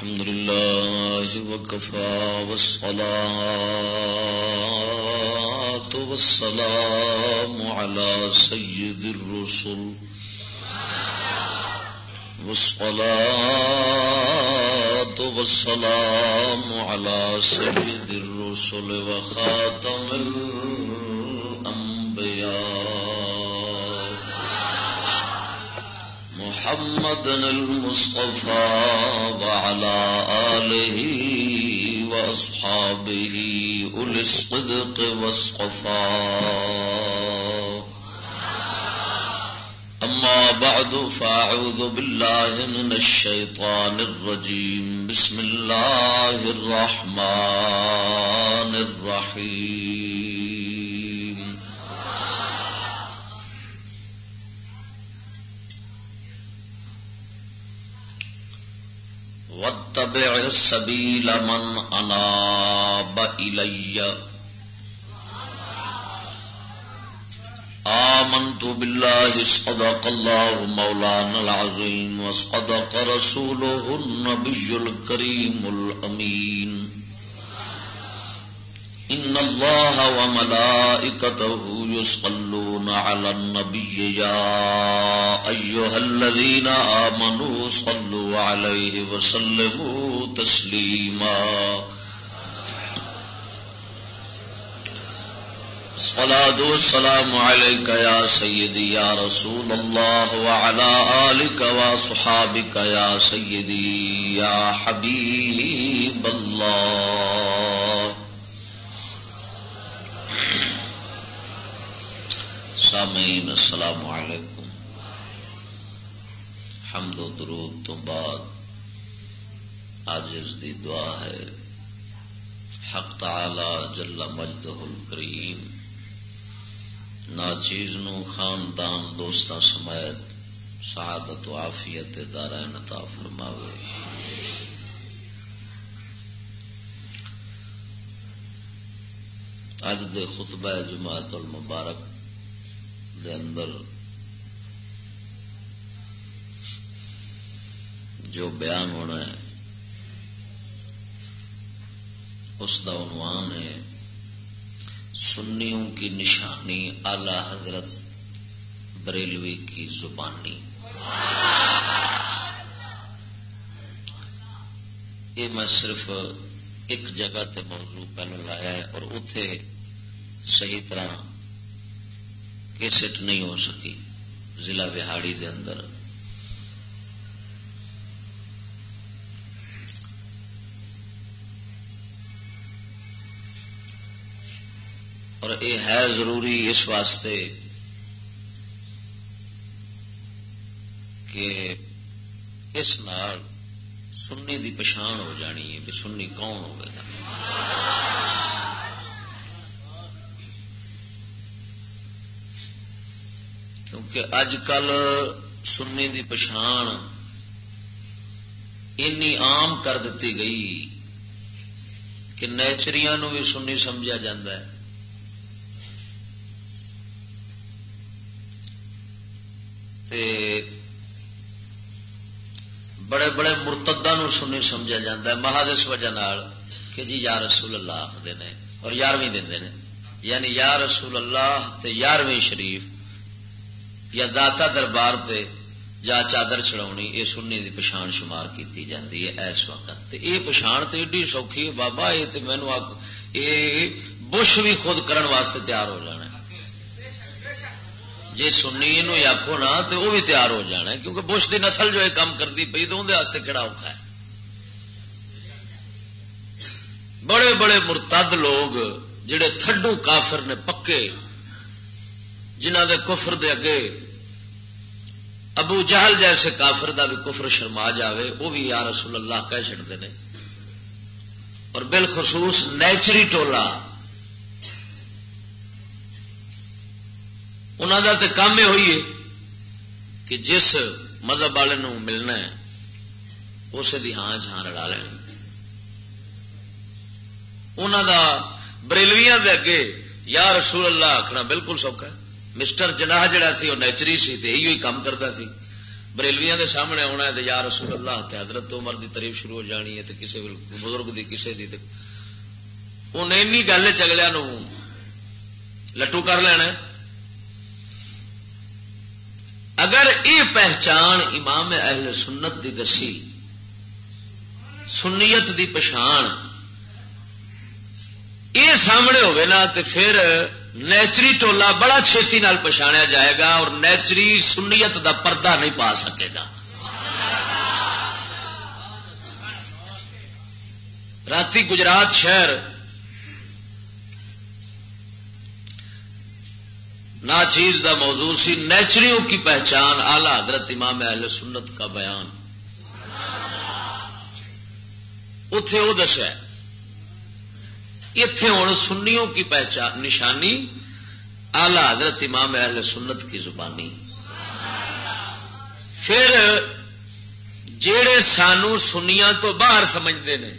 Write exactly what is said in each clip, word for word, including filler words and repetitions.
الحمد لله وكفى، والصلاة والسلام على سيد الرسل، والصلاة والسلام على سيد الرسل وخاتم الأنبياء محمد المصطفى وعلى آله وأصحابه أولي الصدق والصفاء. أما بعد، فأعوذ بالله من الشيطان الرجيم. بسم الله الرحمن الرحيم. واتبع سبيل من أناب إلي. آمنت بالله، صدق الله مولانا العظيم، وصدق رسوله النبي الكريم الأمين. إن الله وملائكته يصلون على النبي، يا أيها الذين آمنوا صلوا عليه وسلموا تسليما. الصلاة والسلام عليك يا سيدي يا رسول الله، وعلى آلك وأصحابك يا سيدي يا حبيب الله. سامعین، السلام علیکم۔ حمد و درود تو بعد عاجز دی دعا ہے، حق تعالی جل مجدہ الکریم ناچیز نو خاندان، دوستاں سمیت سعادت و عافیت دارین عطا فرماوے۔ اج دے خطبہ جمعۃ المبارک دے اندر جو بیان ہونا ہے، اس دا عنوان ہے، سنیوں کی نشانی اعلی حضرت بریلوی کی زبانی۔ یہ میں صرف ایک جگہ تے موضوع پہلے لایا ہے اور اتے صحیح طرح کیسٹ نہیں ہو سکی، ضلع وہاڑی دے اندر۔ اور یہ ہے ضروری اس واسطے کہ اس نال سنی دی پچھان ہو جانی ہے کہ سنی کون ہوئے گا۔ کیونکہ اج کل سنی دی پچھان اینی عام کر دتی گئی کہ نیچریاں نو بھی سنی سمجھا جاندا ہے تے بڑے بڑے مرتداں نو سنی سمجھا جاندا ہے، محض اس وجہ نال کہ جی یا رسول اللہ آکھدے نے اور یارویں دیندے نے، یعنی یا رسول اللہ تے یارویں شریف یا داتا دربار تے جا چادر چڑھاونی، اے سنی دی پچھان شمار کیتی جاندی ہے اس وقت۔ تے اے پچھان تے ایڈی سوکھی ہے بابا، اے تے مینوں آکھ، اے بش بھی خود کرن واسطے تیار ہو جانا ہے۔ جے سنی نو ہی آکھو نا تے او بھی تیار ہو جانا ہے، کیونکہ بش دی نسل جو اے کام کردی پئی تے اوندے واسطے کیڑا اوکھا ہے۔ بڑے بڑے مرتد لوگ جڑے تھڈو کافر نے پکے، جنہاں دے کفر دے اگے ابو جہل جیسے کافر دا بھی کفر شرما جاوے، وہ بھی یا رسول اللہ کہہ چھڑدے نے۔ اور بالخصوص نیچری ٹولا، انہاں دا تے کام یہ ہوئی ہے کہ جس مذہب والے نوں ملنا ہے، اسے دی ہاں جھاں رڑا لینی۔ انہاں دا بریلویاں دے اگے یا رسول اللہ آکھنا بالکل سوکھا ہے۔ مسٹر جناح جڑا سی، وہ نیچری سی تے ایہو ہی کام کردا سی۔ بریلویاں دے سامنے آنا ہے تو یا رسول اللہ، تے حضرت عمر دی تعریف شروع ہو جانی ہے، تے کسے بزرگ دی، کسے دی، تے انہیں اینی گل چ اگلیاں نو لٹو کر لینا ہے۔ اگر یہ پہچان امام اہل سنت دی دسی، سنیت دی پچھان، یہ سامنے ہوئے نا، تے پھر نیچری ٹولا بڑا چھیتی نال پچھاڑیا جائے گا اور نیچری سنیت دا پردہ نہیں پا سکے گا۔ راتی گجرات شہر ناچیز دا موضوع سی، نیچریوں کی پہچان، اعلی حضرت امام اہل سنت کا بیان۔ اتے وہ دسیا، اتے ہن سنیوں کی پہچان، نشانی، اعلی حضرت امام اہل سنت کی زبانی۔ پھر جڑے سانو سنیاں تو باہر سمجھتے نے،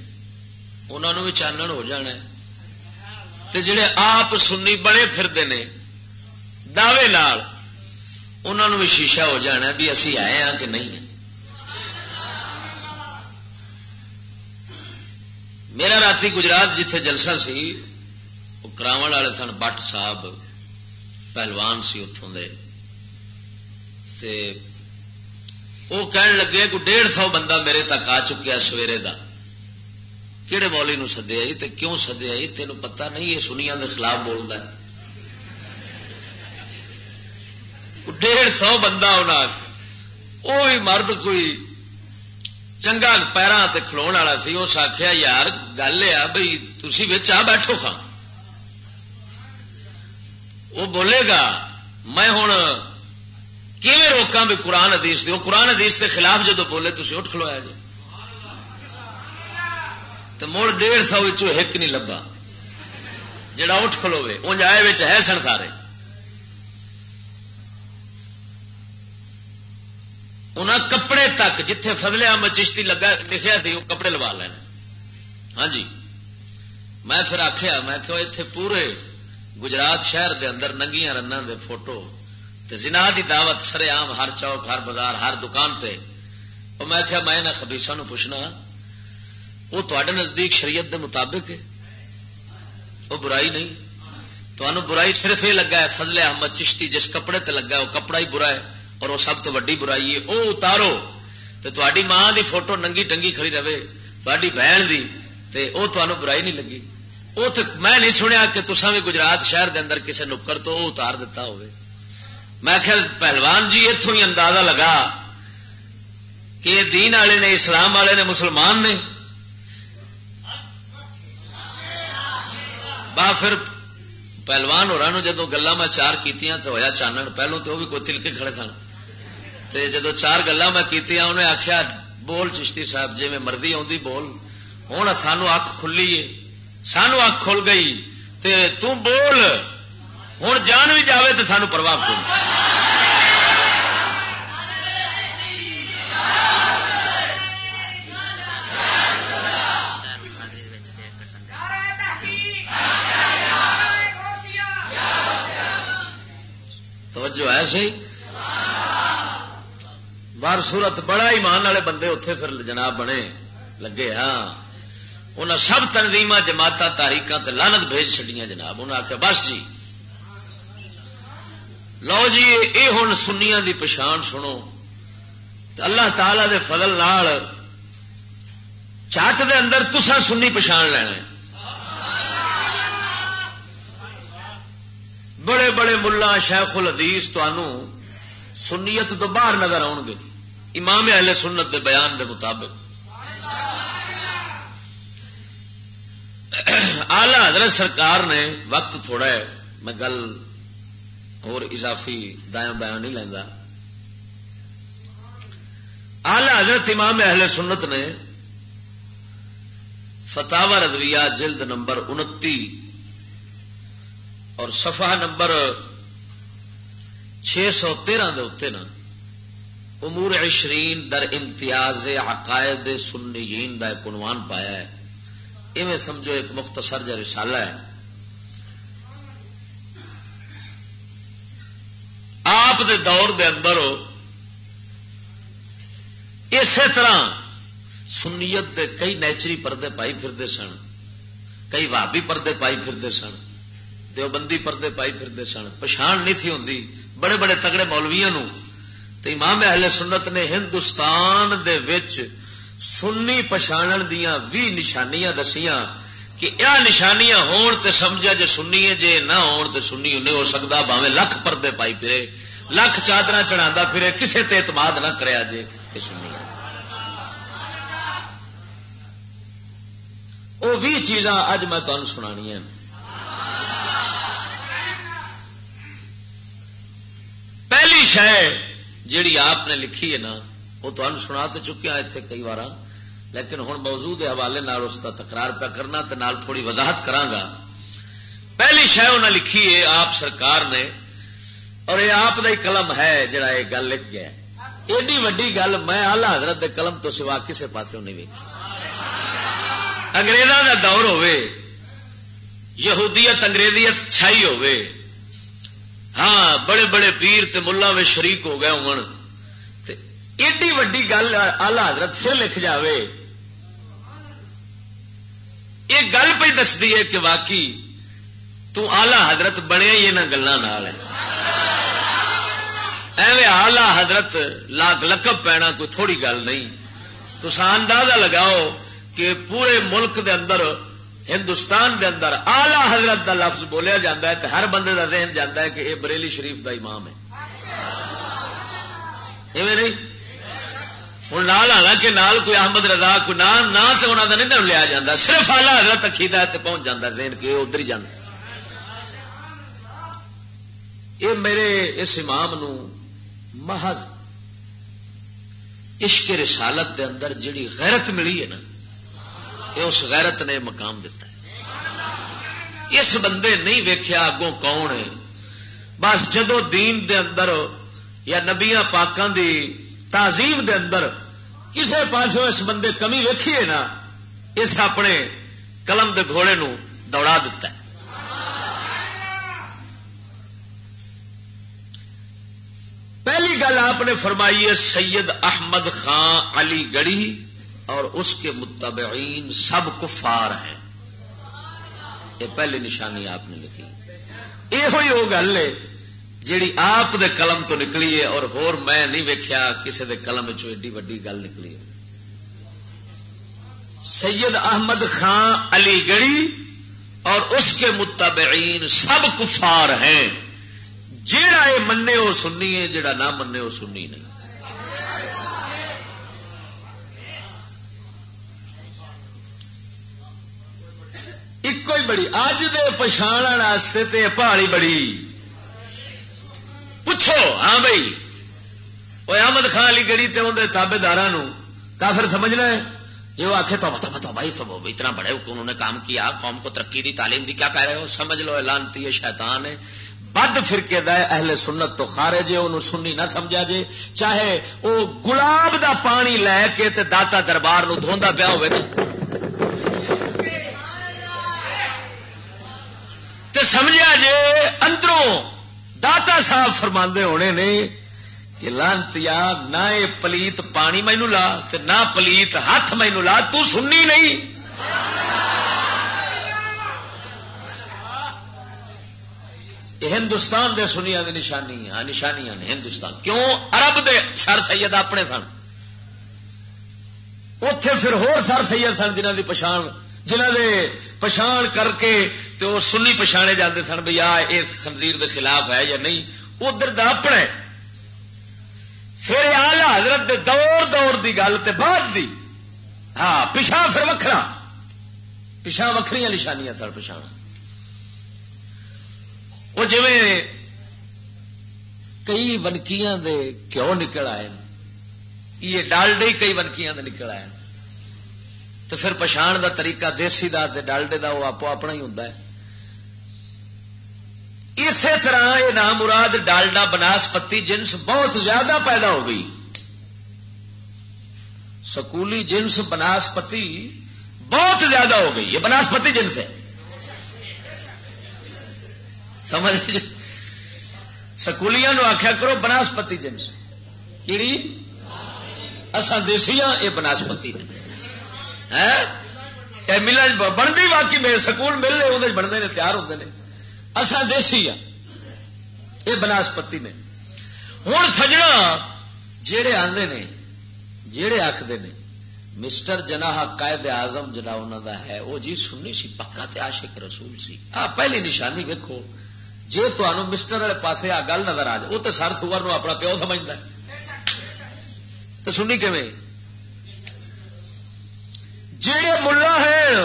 انہاں نوں بھی چانن ہو جانا ہے۔ تے جڑے آپ سنی بنے پھردے نے دعوے نال، انہاں نوں بھی شیشہ ہو جانا ہے بھی اسی آئے ہاں کہ نہیں۔ میرا راتی گجرات جتھے جلسہ سی، وہ کراون والے سن، بٹ صاحب پہلوان سی اتھوں دے، تے وہ کہن لگے، "کوئی ڈیڑھ سو بندہ میرے تک آ چکیا سویرے دا۔" "کہڑے مولوی نو سدیا جی؟ تے کیوں سدیا جی؟ تینوں پتہ نہیں یہ سنیاں دے خلاف بولدا ہے؟" ڈیڑھ سو بندہ انہاں آکھیا۔ وہ بھی مرد کوئی چنگا پیراں تے کھلون والا سی۔ اس آکھیا، "یار، گل یہ آ بھئی، تسی وچ آ بیٹھو خاں۔" وہ بولے گا، میں ہن کیویں روکاں بھی قرآن حدیث دی؟ وہ قرآن حدیث دے خلاف جدوں بولے، تسی اٹھ کھلویا جے۔ تے مڑ ڈیڑھ سو وچوں ہک نہیں لبا جڑا اٹھ کھلوے۔ اونج آئے وچ ہے سن سارے۔ انہاں کپڑے تک، جتھے فضل احمد چشتی لگا، لکھیا سی، وہ کپڑے لوا لینے۔ ہاں جی۔ میں پھر آکھیا، میں کہ اتھے پورے گجرات شہر دے اندر ننگیاں رناں دے فوٹو تے زنا دی دعوت سرے عام، ہر چوک، ہر بازار، ہر دکان تے۔ او میں آکھیا، میں انہاں خبیثاں نوں پوچھنا، وہ تہاڈے نزدیک شریعت دے مطابق ہے؟ وہ برائی نہیں۔ تانوں برائی صرف یہ لگا ہے، فضل احمد چشتی جس کپڑے تے لگا ہے، وہ کپڑا ہی برا ہے اور وہ سب تو وڈی برائی ہے۔ وہ اتارو تے تہاڈی ماں دی فوٹو ننگی ٹنگی کھڑی رہے، تہاڈی بہن دی، تے وہ تانوں برائی نہیں لگی۔ وہ تے میں نہیں سنیا کہ تساں بھی گجرات شہر دے اندر کسے نکڑ تو وہ اتار دیتا ہوئے۔ میں آکھیا، پہلوان جی، اتھوں ہی اندازہ لگا کہ یہ دین والے نے، اسلام والے نے، مسلمان نے۔ با پھر پہلوان ہوراں نوں جدوں گلاں میں چار کیتیاں تے ہویا چانن، پہلوں تے وہ بھی کوئی تلکے کھڑے سن۔ تے جدوں چار گلاں میں کیتیاں، انہیں آکھیا، "بول چشتی صاحب، جے میں مرضی آوندی بول، ہن سانوں اکھ کھلی ہے، سانوں اکھ کھل گئی، تے توں بول، ہن جان بھی جاوے تے سانوں پرواہ کوئی نہیں۔" توجہ ہے صحیح؟ بار صورت بڑا ایمان والے بندے اتھے پھر جناب بنے لگے۔ ہاں، انہاں سب تنظیماں، جماعتاں، تحریکاں تے لعنت بھیج چھڈیاں جناب۔ انہاں آکھیا، "بس جی، لو جی، اے ہن سنیاں دی پچھان سنو۔" تے اللہ تعالی دے فضل نال چٹ دے اندر تساں سنی پچھان لینا ہے۔ بڑے بڑے ملا شیخ الحدیث تانوں سنیت تو باہر نظر آؤ گے، امام اہل سنت دے بیان دے مطابق۔ اعلی حضرت سرکار نے، وقت تھوڑا ہے، میں گل اور اضافی دایاں بایاں نہیں لیندا۔ اعلی حضرت امام اہل سنت نے فتاوی رضویہ جلد نمبر انتی اور صفحہ نمبر چھ سو تیرہ دے اتنے نا، امور عشرین در امتیاز عقائد سنیین دا ایک عنوان پایا ہے۔ ایویں سمجھو ایک مختصر جا رسالہ ہے۔ آپ دے دور دے اندر اسی طرح سنیت دے کئی نیچری پردے پائی پھردے سن، کئی وہابی پردے پائی پھردے سن، دیوبندی پردے پائی پھردے سن، پچھان نہیں تھی ہوندی بڑے بڑے تگڑے مولویاں نو۔ تے امام اہل سنت نے ہندوستان دے وچ سنی پچھانن دیاں وی نشانیاں دسیاں کہ اے نشانیاں ہون تے سمجھا جے سنی ہے، جے نہ ہون تے سنی نہیں ہو سکدا، بھاویں لکھ پردے پائی پھرے، لکھ چادراں چڑھاندا پھرے، کسے تے اعتماد نہ کریا جے کہ سنی ہے۔ وہ بھی چیزاں اج میں تمہیں سنانیاں نے۔ پہلی شے جیڑی آپ نے لکھی ہے نا، وہ تمہیں سنا تو چکیا اتنے کئی بار، لیکن ہن موضوع دے حوالے نال اس کا تکرار پیا کرنا تے نال تھوڑی وضاحت کراں گا۔ پہلی شے انہاں لکھی ہے آپ سرکار نے، اور یہ آپ دا ہی قلم ہے جڑا یہ گل لکھ گیا ہے۔ ایڈی وڈی گل میں اعلی حضرت دے قلم تو سوا کسے پاسوں نہیں ویکھی۔ انگریزاں دا دور ہووے، یہودیت انگریزیت چھائی ہووے، ہاں، بڑے بڑے پیر تے ملا وچ شریک ہو گئے ہون، تے ایڈی وڈی گل اعلی حضرت پھر لکھ جاوے، یہ گل پہ دسدی ہے کہ واقعی تو آلہ حضرت بنیا ہی انہاں گلاں نال ہے۔ ایویں آلہ حضرت لاکھ لقب پینا کوئی تھوڑی گل نہیں۔ تساں اندازہ لگاؤ کہ پورے ملک دے اندر، ہندوستان دے اندر آلہ حضرت دا لفظ بولیا جاندا ہے تے ہر بندے دا ذہن جاندا ہے کہ یہ بریلی شریف دا امام ہے۔ ایویں نہیں؟ ہن نال، حالانکہ نال کوئی احمد رضا، کوئی نہ، نہ تے انہاں دا نہیں نہ لیا جاندا، صرف اعلیٰ حضرت عقیدہ ہے تے پہنچ جاندا ذہن کہ یہ ادھر ہی جاندا۔ یہ میرے اس امام نو محض عشق رسالت دے اندر جڑی غیرت ملی ہے نا، یہ اس غیرت نے مقام دیتا ہے۔ اس بندے نہیں ویکھیا اگوں کون ہے، بس جدو دین دے اندر یا نبیاں پاکاں دی تعظیم دے اندر کسے پاسوں اس بندے کمی ویکھی ہے نا، اس اپنے قلم دے گھوڑے نو دوڑا دیتا ہے۔ پہلی گل آپ نے فرمائی ہے، سید احمد خان علی گڑھی اور اس کے متبعین سب کفار ہیں۔ یہ پہلی نشانی آپ نے لکھی۔ یہ ہوئی وہ گل ہے جیڑی آپ دے قلم تو نکلی ہے، اور ہور میں نہیں ویکھیا کسے دے قلم وچوں ایڈی وڈی گل نکلی ہے۔ سید احمد خان علی گڑھی اور اس کے متبعین سب کفار ہیں۔ جیڑا یہ منے وہ سنی ہے، جیڑا نہ منے وہ سنی نہیں۔ ایک کوئی بڑی اج دے پچھاڑن واسطے تے پہاڑی بڑی۔ پوچھو، ہاں بھائی، وہ احمد خان علی گڑھی تے اندر تابے داراں نو کافر سمجھنا ہے؟ جی وہ آخے، توبہ توبہ توبہ، یہ سب اتنا بڑے انہوں نے کام کیا، قوم کو ترقی دی، تعلیم دی، کیا کہہ رہے ہو؟ سمجھ لو، اعلان تی شیطان ہے، بد فرقے دا ہے، اہل سنت تو خارج ہے، انہوں سنی نہ سمجھا جے، چاہے وہ گلاب دا پانی لے کے تے داتا دربار نو دھوندا پیا ہوئے نا۔ تے سمجھیا جے، اندروں داتا صاحب فرماندے ہونے نے کہ لعنتیا، نہ اے پلیت پانی مینوں لا تے نہ پلیت ہاتھ مینوں لا، تو سنی نہیں۔ یہ ہندوستان دے سنیاں دی نشانی، ہاں، نشانیاں نے ہندوستان۔ کیوں؟ عرب دے سر سید اپنے سن، اوتھے پھر ہور سر سید سن جنہاں دی پچھان، جنہاں دے پچھان کر کے تے او سنی پچھانے جاندے سن بھئی آ اس خنزیر دے خلاف ہے یا نہیں۔ ادھر دا اپنا ہے۔ پھر اعلی حضرت دے دور دور دی گل تے بعد دی، ہاں، پچھاں پھر وکھرا، پچھاں وکھریاں نشانیاں سن پچھاں۔ وہ جویں کئی ونکیاں دے گھیو نکل آئے، یہ ڈالڈے ہی کئی ونکیاں دے نکل آئے۔ تو پھر پچھان دا طریقہ دیسی دا تے ڈالڈے دا وہ آپو اپنا ہی ہوندا ہے۔ اسی طرح یہ نامراد ڈالڈا بناسپتی جنس بہت زیادہ پیدا ہو گئی۔ سکولی جنس بناسپتی بہت زیادہ ہو گئی، یہ بناسپتی جنس ہے۔ سمجھ؟ سکولیاں نو آخیا کرو بناسپتی جنس۔ کیڑی؟ اساں دیسی ہاں، یہ بناسپتی نے۔ ہیں؟ یہ ملن ب-، بنتی واقعی میں سکول مل لے، اندر بنتے نے، تیار ہوتے نے۔ اساں دیسی ہاں، یہ بناسپتی نے۔ ہن سجنا، جیڑے آندے نے، جیڑے آکھدے نے، مسٹر جناح قائد اعظم جڑا انہاں دا ہے، او جی سنی سی، پکا تے عاشق رسول سی۔ آ پہلی نشانی ویکھو، جے تانوں مسٹر والے پاسے آ گل نظر آ جائے، او تے سر سور نو اپنا پیو سمجھدا ہے۔ تے سنی کیویں؟ جیڑے ملا ہیں،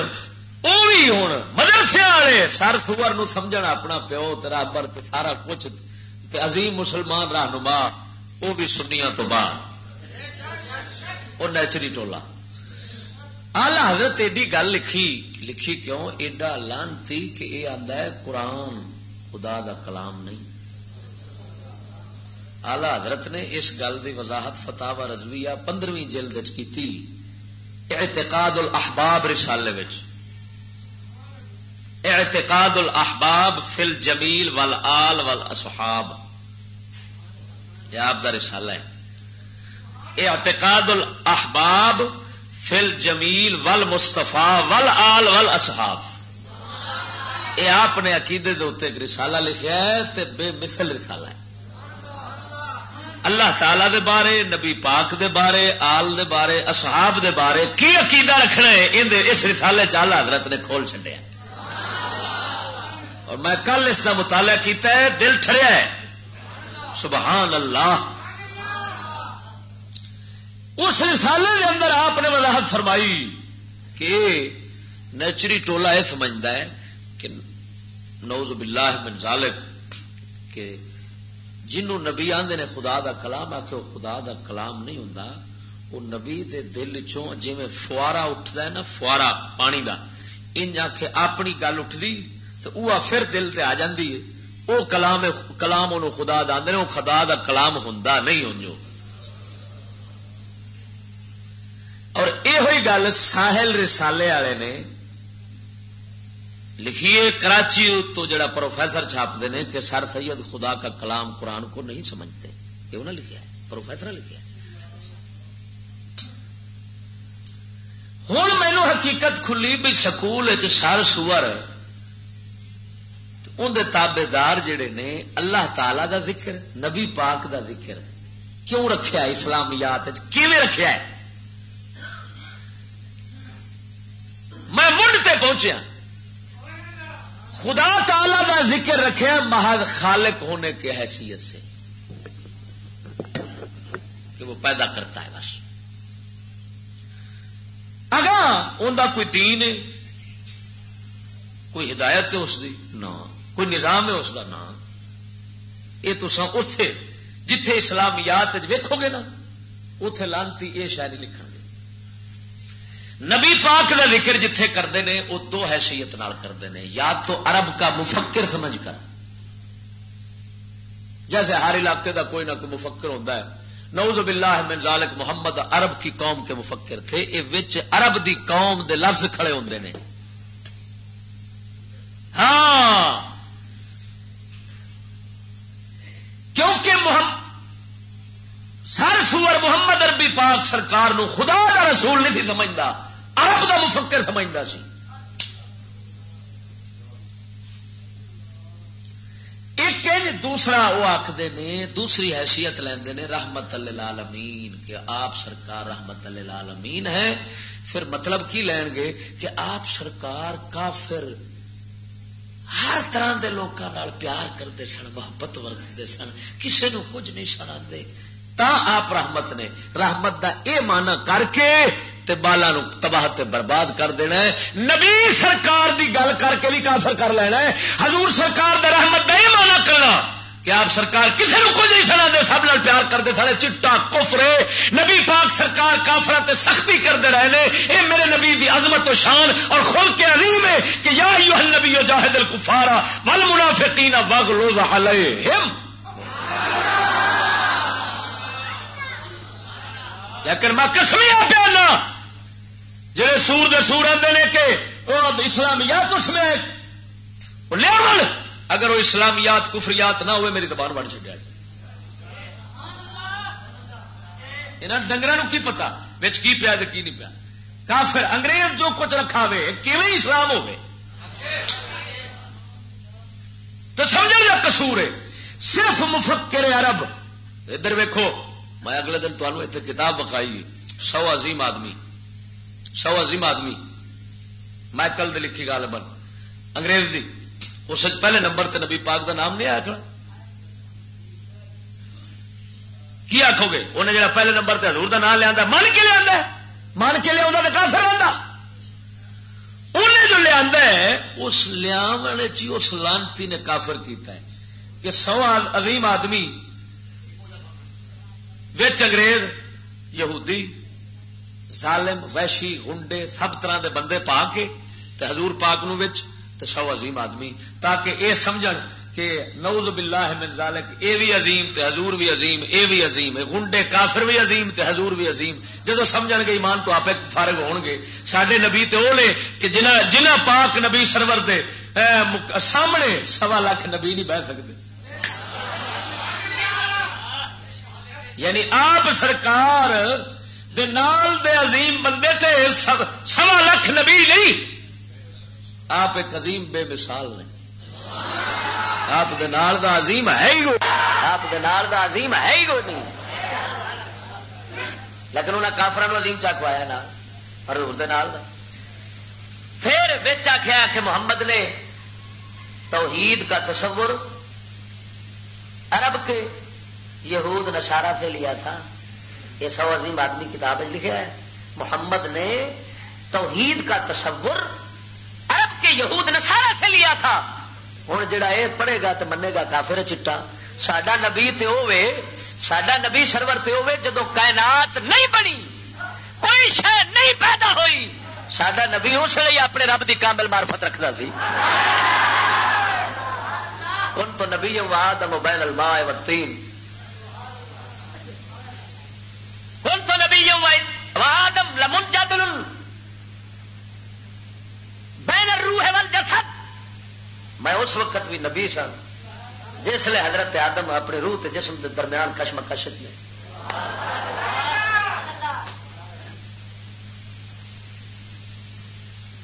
او وی ہن مدرسے والے سر سور نو سمجھن اپنا پیو تے رابر تے سارا کچھ، تے عظیم مسلمان رہنما، او بھی سنیاں تو باہر، او نیچری ٹولا۔ آلہ حضرت ایڈی گل لکھی، لکھی کیوں؟ ایڈا لعنتی کہ اے آندا ہے قرآن خدا دا کلام نہیں۔ آلہ حضرت نے اس گل دی وضاحت فتاوی رضویہ پندرہویں جلد وچ کیتی، اعتقاد الاحباب رسالے وچ۔ اعتقاد الاحباب فی الجمیل والآل والاصحاب، یہ آپ دا رسالہ ہے۔ اعتقاد الاحباب فی الجمیل والمصطفیٰ والآل والاصحاب، یہ آپ نے عقیدے دے اتنے ایک رسالہ لکھیا ہے، تے بے مثل رسالہ ہے۔ اللہ تعالیٰ دے بارے، نبی پاک دے بارے، آل دے بارے، اصحاب دے بارے کی عقیدہ رکھنا ہے، ان دے اس رسالے چ اعلیٰ حضرت نے کھول چھڈیا۔ اور میں کل اس دا مطالعہ کیتا ہے، دل ٹھریا ہے۔ سبحان اللہ۔ اس رسالے دے اندر آپ نے وضاحت فرمائی کہ نیچری ٹولا یہ سمجھدا ہے کہ نعوذ باللہ من ذالک، کہ جنوں نبی آندے نے خدا دا کلام آکھے، وہ خدا دا کلام نہیں ہوندا۔ وہ نبی دے دل چوں جویں فوارا اٹھدا ہے نا، فوارا پانی دا، انج آکھے اپنی گل اٹھدی تے اوہ پھر دل تے آ جاندی ہے۔ او کلام، کلام اونوں خدا دا آندے نے، او خدا دا کلام ہوندا نہیں اونجو۔ اور یہ ہوئی گل ساحل رسالے والے نے لکھیے، کراچی تو جڑا پروفیسر چھاپتے نے کہ سر سید خدا کا کلام قرآن کو نہیں سمجھتے، یہ انہوں نے لکھا ہے، پروفیسر نے لکھا ہے۔ ہن مینوں حقیقت کھلی بھی سکول وچ سر سور، ان دے تابعدار جڑے نے، اللہ تعالی دا ذکر، نبی پاک دا ذکر کیوں رکھیا ہے اسلامیات وچ؟ کیویں رکھیا ہے؟ میں منڈ تے پہنچیا، خدا تعالی دا ذکر رکھیا محض خالق ہونے کی حیثیت سے، کہ وہ پیدا کرتا ہے بس۔ اگاں ان دا کوئی دین ہے، کوئی ہدایت ہے اس دی؟ نہ۔ کوئی نظام ہے اس دا؟ نہ۔ یہ تساں اتھے جتھے اسلامیات وچ ویکھو گے نا، اتھے لانتی یہ شاید نہیں لکھن گے۔ نبی پاک دا ذکر جتھے کردے نے، وہ دو حیثیت نال کردے نے، یا تو عرب کا مفکر سمجھ کر، جیسے ہر علاقے دا کوئی نہ کوئی مفکر ہوتا ہے، نعوذ باللہ من ذالک، محمد عرب کی قوم کے مفکر تھے، یہ وچ عرب دی قوم دے لفظ کھڑے ہوندے نے۔ ہاں، کیونکہ محمد، سر سور محمد عربی پاک سرکار نو خدا دا رسول نہیں سی سمجھدا، عرب دا مفکر سمجھدا سی۔ ایک انج دوسرا وہ آکھدے نے، دوسری حیثیت لیندے نے رحمت للعالمین، کہ آپ سرکار رحمت للعالمین ہے۔ پھر مطلب کی لین گے کہ آپ سرکار کافر ہر طرح دے لوکاں نال پیار کردے سن، محبت ورتدے سن، کسے نو کچھ نہیں سن آندے۔ تاں آپ رحمت نے، رحمت دا اے معنی کر کے تے بالاں نو تباہ تے برباد کر دینا ہے۔ نبی سرکار دی گل کر کے بھی کافر کر لینا ہے۔ حضور سرکار دے رحمت دا اے معنی کرنا کہ آپ سرکار کسے نو کچھ نہیں سنا دے، سب نال پیار کردے سارے۔ چٹا کفر ہے۔ نبی پاک سرکار کافراں تے سختی کردے رہے نے۔ اے میرے نبی دی عظمت و شان اور خلق عظیم ہے کہ یا ایھا النبی جاہد الکفار والمنافقین واغلظ علیہم۔ لیکن میں قسمیاں پہ اللہ، جڑے سور دے سور آندے نے کہ وہ اسلامیات اس میں، وہ لے آون۔ اگر وہ اسلامیات کفریات نہ ہوئے، میری زبان بڑھ چکا ہے۔ انہاں ڈنگراں نوں کی پتا وچ کی پیا تے کی نہیں پیا؟ کافر انگریز جو کچھ رکھا ہوئے، کیویں اسلام ہوئے؟ تو سمجھن دا قصور ہے صرف مفکر عرب۔ ادھر ویکھو، میں اگلے دن تانوں اتنے کتاب وکھائی، سو عظیم آدمی، سو عظیم آدمی، مائیکل دی لکھی غالباً، انگریز دی۔ اس وچ پہلے نمبر تے نبی پاک دا نام نہیں آیا کھڑا؟ کی آکھو گے؟ انہیں جڑا پہلے نمبر تے حضور دا نام لیا، من کے لیا؟ من کے لیا تو کافر آتا۔ انہیں جو لیا ہے، اس لیاون وچ ہی اس لانتی نے کافر کیتا ہے کہ سو عظیم آدمی وچ انگریز، یہودی، ظالم، وحشی، غنڈے، سب طرح دے بندے پا کے تے حضور پاک نو وچ تے سو عظیم آدمی، تاکہ اے سمجھن کہ نعوذ باللہ من ذالک، اے بھی عظیم تے حضور بھی عظیم، اے بھی عظیم ہے، غنڈے کافر بھی عظیم تے حضور بھی عظیم۔ جدوں سمجھن گے، ایمان تو آپے فارغ ہون گے۔ ساڈے نبی تے او نے کہ جنہاں، جنہاں پاک نبی سرور دے، اے، مک-، سامنے سوا لکھ نبی نہیں بہ سکدے۔ یعنی آپ سرکار دے نال دے عظیم بندے تے سو-، سوا لکھ نبی نہیں، آپ ایک عظیم بے مثال نے۔ آپ دے نال دا عظیم ہے ہی کوئی، آپ دے نال دا عظیم ہے ہی کوئی نہیں۔ لیکن انہاں کافراں نوں عظیم چا کھوایا نا، پر حضور دے نال دا۔ پھر وچ آکھیا کہ محمد نے توحید کا تصور عرب کے یہود نصارہ سے لیا تھا۔ یہ سو عظیم آدمی کتاب میں لکھا ہے، محمد نے توحید کا تصور عرب کے یہود نصارہ سے لیا تھا۔ ہن جڑا اے پڑھے گا تے منے گا کافر چٹا۔ ساڈا نبی تے ہووے، ساڈا نبی سرور تے ہووے، جدوں کائنات نہیں بنی، کوئی شے نہیں پیدا ہوئی، ساڈا نبی اس لیے اپنے رب دی کامل معرفت رکھدا سی۔ كنت نبيا وآدم بين الماء والطين۔ كنت نبيا و-، وآدم لمنجدل بين الروح والجسد۔ میں اس وقت بھی نبی سا جس لے حضرت آدم اپنی روح تے جسم دے درمیان کشمکش وچ نے۔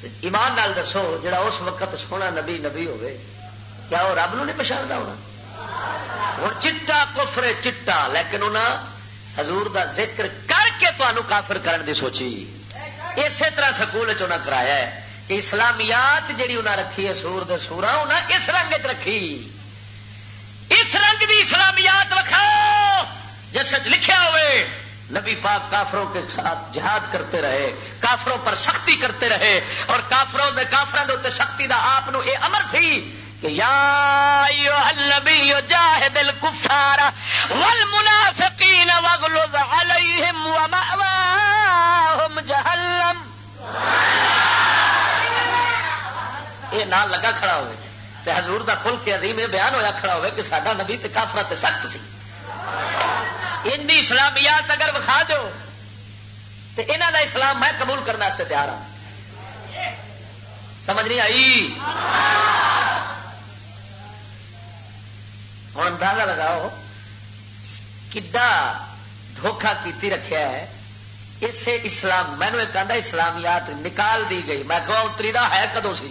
تے ایمان نال دسو، جڑا اس وقت سونا نبی نبی ہوئے، کیا وہ رب نو نہیں پچھاندا ہونا؟ ہن چٹا کفر ہے، چٹا، لیکن انہاں حضور دا ذکر کر کے تانوں کافر کرن دی سوچی۔ اسی طرح سکول وچ انہاں کرایا ہے کہ اسلامیات جڑی انہاں رکھی ہے، سور دے سوراں، انہاں اس رنگ وچ رکھی۔ اس رنگ دی اسلامیات وکھاؤ جس وچ لکھیا ہوئے، نبی پاک کافروں کے ساتھ جہاد کرتے رہے، کافروں پر سختی کرتے رہے، اور کافروں دے، کافراں دے اوتے سختی دا آپ نو اے امر تھی کہ یا ایھا النبی جاہد الکفار والمنافقین واغلظ علیہم ومأواہم جہنم۔ یہ نال لگا کھڑا ہوئے تے حضور دا خلق عظیم یہ بیان ہویا کھڑا ہوئے کہ ساڈا نبی تے کافراں تے سخت سی۔ ان دی اسلامیات اگر وکھا دیو تے انہاں دا اسلام میں قبول کرنے واسطے تیار ہاں۔ سمجھ نہیں آئی؟ ہن اندازہ لگاؤ، کڈا دھوکا کیتی رکھیا ہے۔ اسے اسلام، مینوں ایک آندا اسلامیات نکال دی گئی۔ میں کہا، اتری دا ہے کدوں سی؟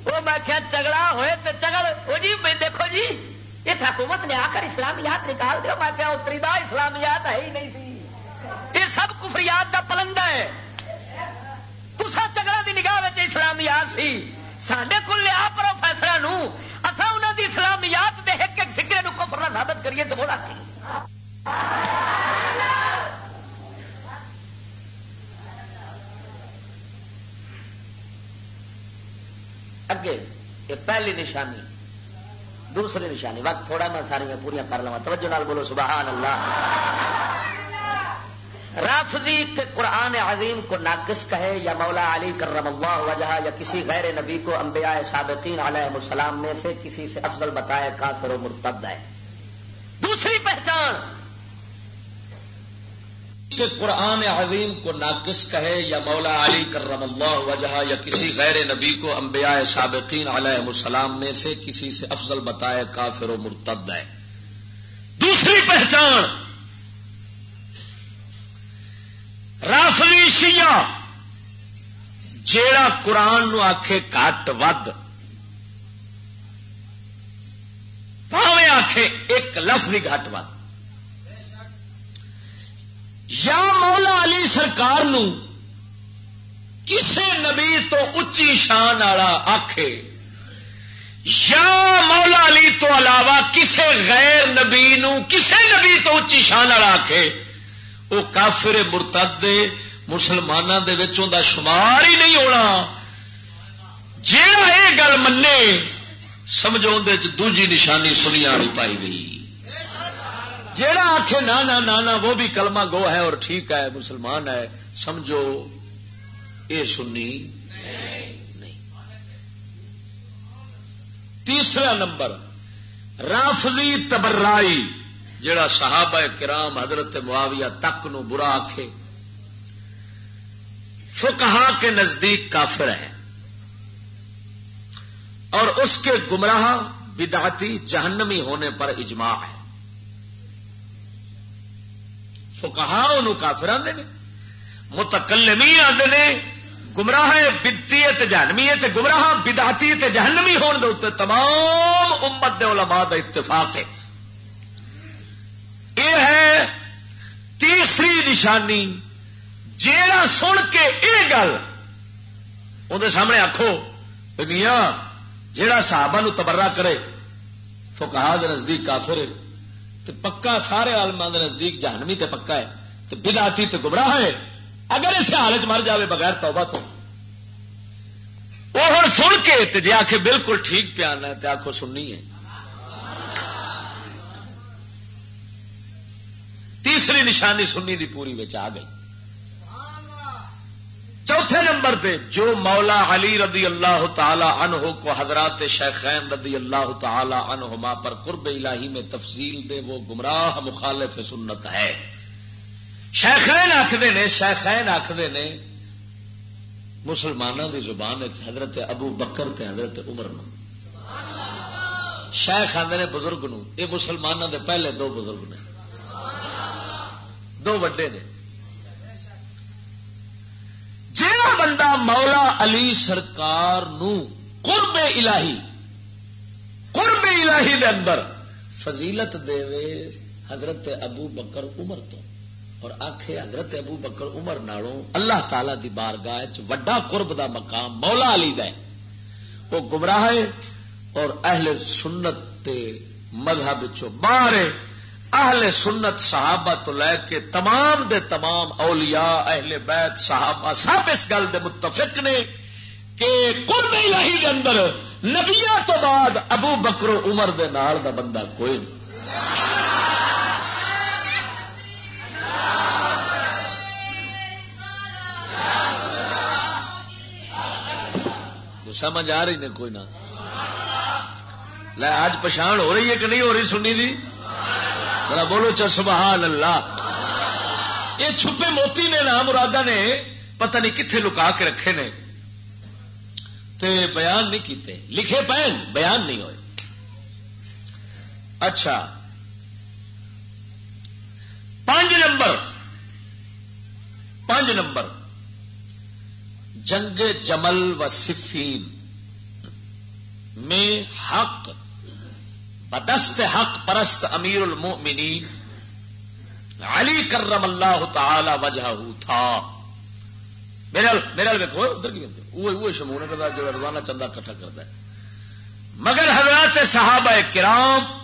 وہ میں کہا، جھگڑا ہوئے تے جھگڑ، وہ جی، میں دیکھو جی، اس حکومت نے آ کر اسلامیات نکال دیا۔ میں کہا، اتری دا اسلامیات ہے ہی نہیں سی۔ یہ سب کفریات دا پلندہ ہے۔ تساں چگڑا دی نگاہ وچ اسلامیات سی، ساڈے کول لیا پروفیسراں نو، اساں انہاں دی اسلامیات دے ہک ہک فقرے نو کفر نہ ثابت کریے تے بولا کی؟ اگے، یہ پہلی نشانی۔ دوسری نشانی، وقت تھوڑا، میں ساری پوریاں کر لواں۔ توجہ نال بولو، سبحان اللہ۔ رافضی تے قرآن عظیم کو ناقص کہے یا مولا علی کرم اللہ وجہہ یا کسی غیر نبی کو انبیاء سابقین علیہ السلام میں سے کسی سے افضل بتائے، کافر و مرتد ہے۔ دوسری پہچان، کہ قرآن عظیم کو ناقص کہے یا مولا علی کرم اللہ وجہہ یا کسی غیر نبی کو انبیاء سابقین علیہ السلام میں سے کسی سے افضل بتائے، کافر و مرتد ہے۔ دوسری پہچان۔ رافضی شیعہ جیڑا قرآن نو آکھے گھٹ ود، بھاویں آکھے ایک لفظ ہی گھٹ ود، یا مولا علی سرکار نو کسے نبی تو اچی شان والا آکھے، یا مولا علی تو علاوہ کسے غیر نبی نو، کسے نبی تو اچی شان والا آکھے، او کافر مرتد دے، مسلماناں دے وچ اوندا شمار ہی نہیں ہونا۔ جیڑا اے گل منے، سمجھو اندے وچ دوجی نشانی سنی آنی پائی گئی۔ جیڑا آکھے، "نا، نا، نا، نا، وہ بھی کلمہ گو ہے اور ٹھیک ہے، مسلمان ہے"، سمجھو اے سنی نہیں۔ تیسرا نمبر، رافضی تبرائی، جڑا صحابہ کرام حضرت معاویہ تک نو برا آکھے، فقہا کے نزدیک کافر ہے اور اس کے گمراہ بدعتی جہنمی ہونے پر اجماع ہے۔ فقہا انہوں کافر آندے نے، متکلمین آندے نے، گمراہ بدعتی تے جہنمی ہے، تے گمراہ بدعتی تے جہنمی ہون دے اُتے تمام امت دے علماء دا اتفاق ہے۔ یہ ہے تیسری نشانی، جیڑا سن کے یہ گل اندر سامنے آکھو، "اے میاں، جیڑا صحابہ نو تبرہ کرے، فقہا دے نزدیک کافر ہے، تے پکا سارے عالماں دے نزدیک جہنمی تے پکا ہے، تے بدعتی تے گمراہ ہے، اگر اس حال وچ مر جاوے بغیر توبہ تو۔" وہ ہن سن کے تے جے آکھے، "بالکل ٹھیک پیا نہ"، تے آکھو، "سنی ہے۔" تیسری نشانی سنی دی پوری وچ آ گئی۔ چوتھے نمبر پہ، جو مولا علی رضی اللہ تعالی عنہ کو حضرات شیخین رضی اللہ تعالی عنہما پر قرب الہی میں تفضیل دے، وہ گمراہ مخالف سنت ہے۔ شیخین آکھدے نے، شیخین آکھدے نے، مسلماناں دی زبان وچ حضرت ابو بکر تے حضرت عمر نو شیخ آندے نے، بزرگ نو۔ یہ مسلماناں دے پہلے دو بزرگ نے، دو وڈے نے۔ جیڑا بندہ مولا علی سرکار نو قرب الہی، قرب الہی دے اندر فضیلت دے وے حضرت ابو بکر عمر تو، اور آکھے حضرت ابو بکر عمر نالوں اللہ تعالی دی بارگاہ وچ وڈا قرب دا مقام مولا علی دا ہے، وہ گمراہ ہے اور اہل سنت دے مذہب چوں باہر ہے۔ اہل سنت صحابہ تو لے کے تمام دے تمام اولیاء، اہل بیت، صحابہ سب اس گل دے متفق نے کہ قرب الہی دے اندر نبیاں تو بعد ابو بکر و عمر دے نال دا بندہ کوئی نہیں۔ سمجھ آ رہی نے کوئی نہ؟ لے، اج پچھان ہو رہی ہے کہ نہیں ہو رہی سنی دی؟ ذرا بولو چا، سبحان اللہ۔ یہ چھپے موتی نے، نام مرادہ نے پتہ نہیں کتھے لکا کے رکھے نے، تے بیان نہیں کیتے، لکھے پے نے، بیان نہیں ہوئے۔ اچھا، پانچ نمبر، پانچ نمبر، جنگ جمل و صفین میں حق بدست حق پرست امیر المؤمنین علی کرم اللہ تعالی وجہہ تھا۔ میرے ال-، میرے ال ویکھو، ادھر کی کہندے؟ اوہ، اوہ شمون ہے جو روزانہ چندہ اکٹھا کردا ہے۔ مگر حضرات صحابہ کرام،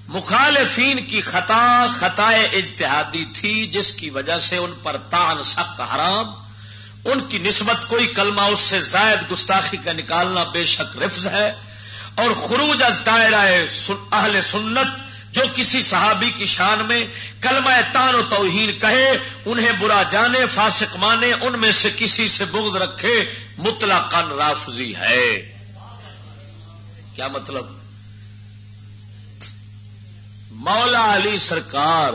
مخالفین کی خطا خطائے اجتہادی تھی، جس کی وجہ سے ان پر طعن سخت حرام، ان کی نسبت کوئی کلمہ اس سے زائد گستاخی کا نکالنا بے شک رفض ہے، اور خروج از دائرہ سن-، اہل سنت، جو کسی صحابی کی شان میں کلمہ طعن و توہین کہے، انہیں برا جانے، فاسق مانے، ان میں سے کسی سے بغض رکھے، مطلقاً رافضی ہے۔ کیا مطلب؟ مولا علی سرکار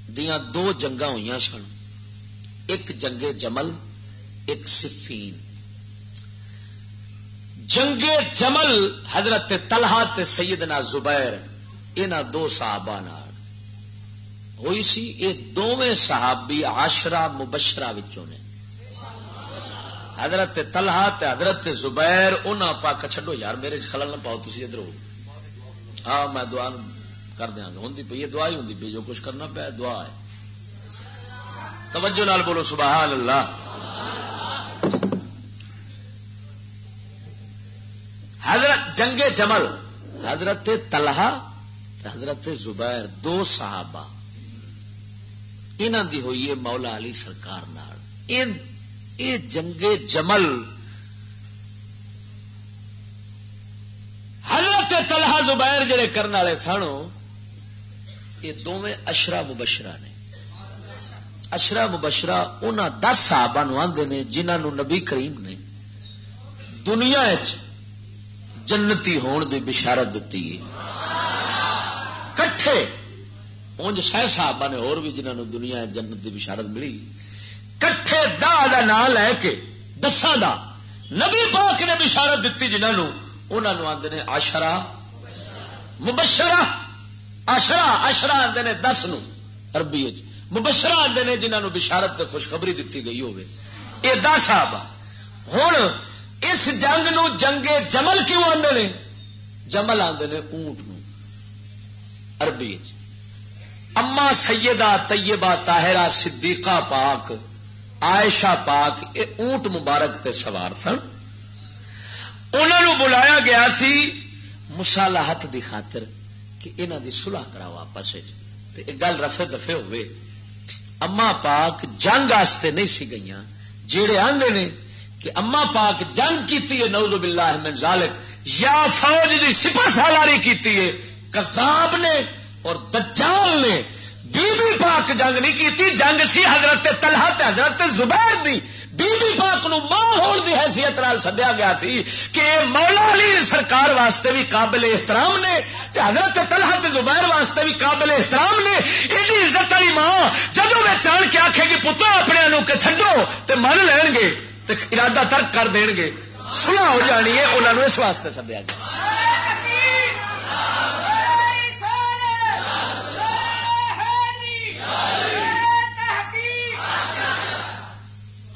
دیاں دو جنگاں ہوئیاں سن، ایک جنگ جمل، ایک صفین۔ جنگ جمل حضرت طلحہ تے سیدنا زبیر، انہاں دو صحابہ نال ہوئی سی۔ یہ دوویں صحابی عشرہ مبشرہ وچوں نے۔ حضرت طلحہ تے حضرت زبیر، انہاں پاک، چھڈو یار، میرے چ خلل نہ پاؤ، تسی ادھر ہو۔ ہاں، میں دعا کر دیاں گا، ہوندی پئی ہے، دعا ہی ہوندی پئی، جو کچھ کرنا پیا دعا ہے۔ توجہ نال بولو، سبحان اللہ۔ حضرت جنگ جمل، حضرت طلحہ تے حضرت زبیر، دو صحابہ، انہاں دی ہوئی ہے مولا علی سرکار نال۔ ان، اے جنگ جمل، حضرت طلحہ زبیر جڑے کرن والے سن، یہ دوویں عشرہ مبشرہ نے۔ عشرہ مبشرہ انہاں دس صحابہ نو آندے نے، جنہاں نو نبی کریم نے دنیا وچ جنتی ہون دی بشارت دتی ہے۔ کٹھے، اونج سہ صحابہ نے ہور بھی، جنہاں نو دنیا وچ جنت دی بشارت ملی۔ کٹھے دہ دا نام لے کے، دساں دا نبی پاک نے بشارت دتی، جنہاں نو، انہاں نو آندے نے عشرہ مبشرہ۔ عشرہ، عشرہ آندے نے دس نو عربی وچ، مبشرہ آندے نے جنہاں نو بشارت تے خوشخبری دتی گئی ہوے۔ اے دس صحابہ۔ ہن اس جنگ نو جنگ جمل کیوں آندے نے؟ جمل آندے نے اونٹ نو عربی وچ۔ اما سیدہ طیبہ طاہرہ صدیقہ پاک، عائشہ پاک، اے اونٹ مبارک تے سوار سن۔ انہاں نو بلایا گیا سی مصالحت دی خاطر کہ انہاں دی صلح کراؤ آپس وچ، تے اے گل رفع دفع ہوئے۔ اما پاک جنگ واسطے نہیں سی گئیاں۔ جیڑے آندے نے کہ اما پاک جنگ کیتی ہے، نعوذ باللہ من ذالک، یا فوج دی سپہ سالاری کیتی ہے، کذاب نے اور دجال نے۔ بی بی پاک جنگ نہیں کیتی، جنگ سی حضرت طلحہ تے حضرت زبیر دی۔ بی بی پاک نو ماں ہون دی حیثیت نال سدیا گیا سی کہ اے مولا علی سرکار واسطے بھی قابل احترام نے تے حضرت طلحہ تے زبیر واسطے بھی قابل احترام نے۔ ایڈی عزت والی ماں جدوں وچ آن کے آکھے گی، "پترا، اپنے نو کے چھڈو"، تے من لین گے تے ارادہ ترک کر دین گے، صلح ہو جانی ہے۔ انہاں نو اس واسطے سدیا گیا۔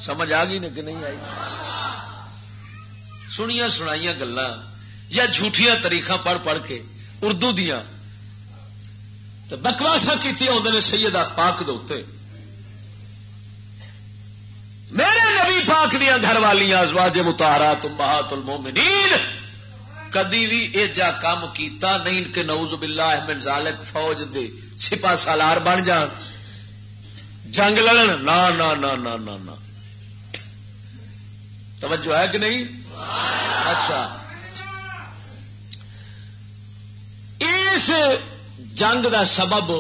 سمجھ آ گئی نے کہ نہیں آئی؟ سنیاں سنائیاں گلاں یا جھوٹیاں تاریخاں پڑھ پڑھ کے اردو دیاں تے بکواساں کیتیاں ہوندے نے سید پاک دے اُتے۔ میرے نبی پاک دیاں گھر والیاں ازواج مطہرات امہات المومنین کدی بھی ایجا کام کیتا نہیں کہ نعوذ باللہ من ذالک فوج دے سپاہ سالار بن جان، جنگ لڑن۔ نہ، نہ، نہ، نہ، نہ، نہ۔ توجہ ہے کہ نہیں؟ اچھا، اس جنگ دا سبب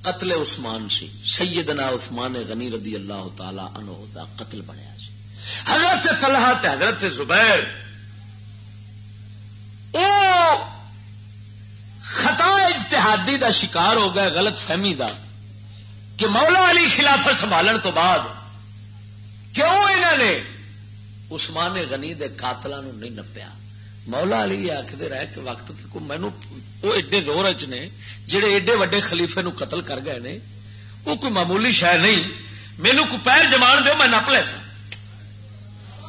قتل عثمان سی، سیدنا عثمان غنی رضی اللہ تعالی عنہ دا قتل بنیا سی۔ حضرت طلحہ تے حضرت زبیر او خطا اجتہادی دا شکار ہو گئے، غلط فہمی دا، کہ مولا علی خلافت سنبھالن تو بعد کیوں انہاں نے عثمان غنی دے قاتلاں نوں نہیں نپیا؟ مولا علی یہ آکھدے رہے کہ وقت تے کوئی مینوں، وہ ایڈے زور اچ نے، جڑے ایڈے وڈے خلیفے نوں قتل کر گئے نے، وہ کوئی معمولی شے نہیں۔ مینوں کوئی پیر جمان دیو، میں نپ لیساں۔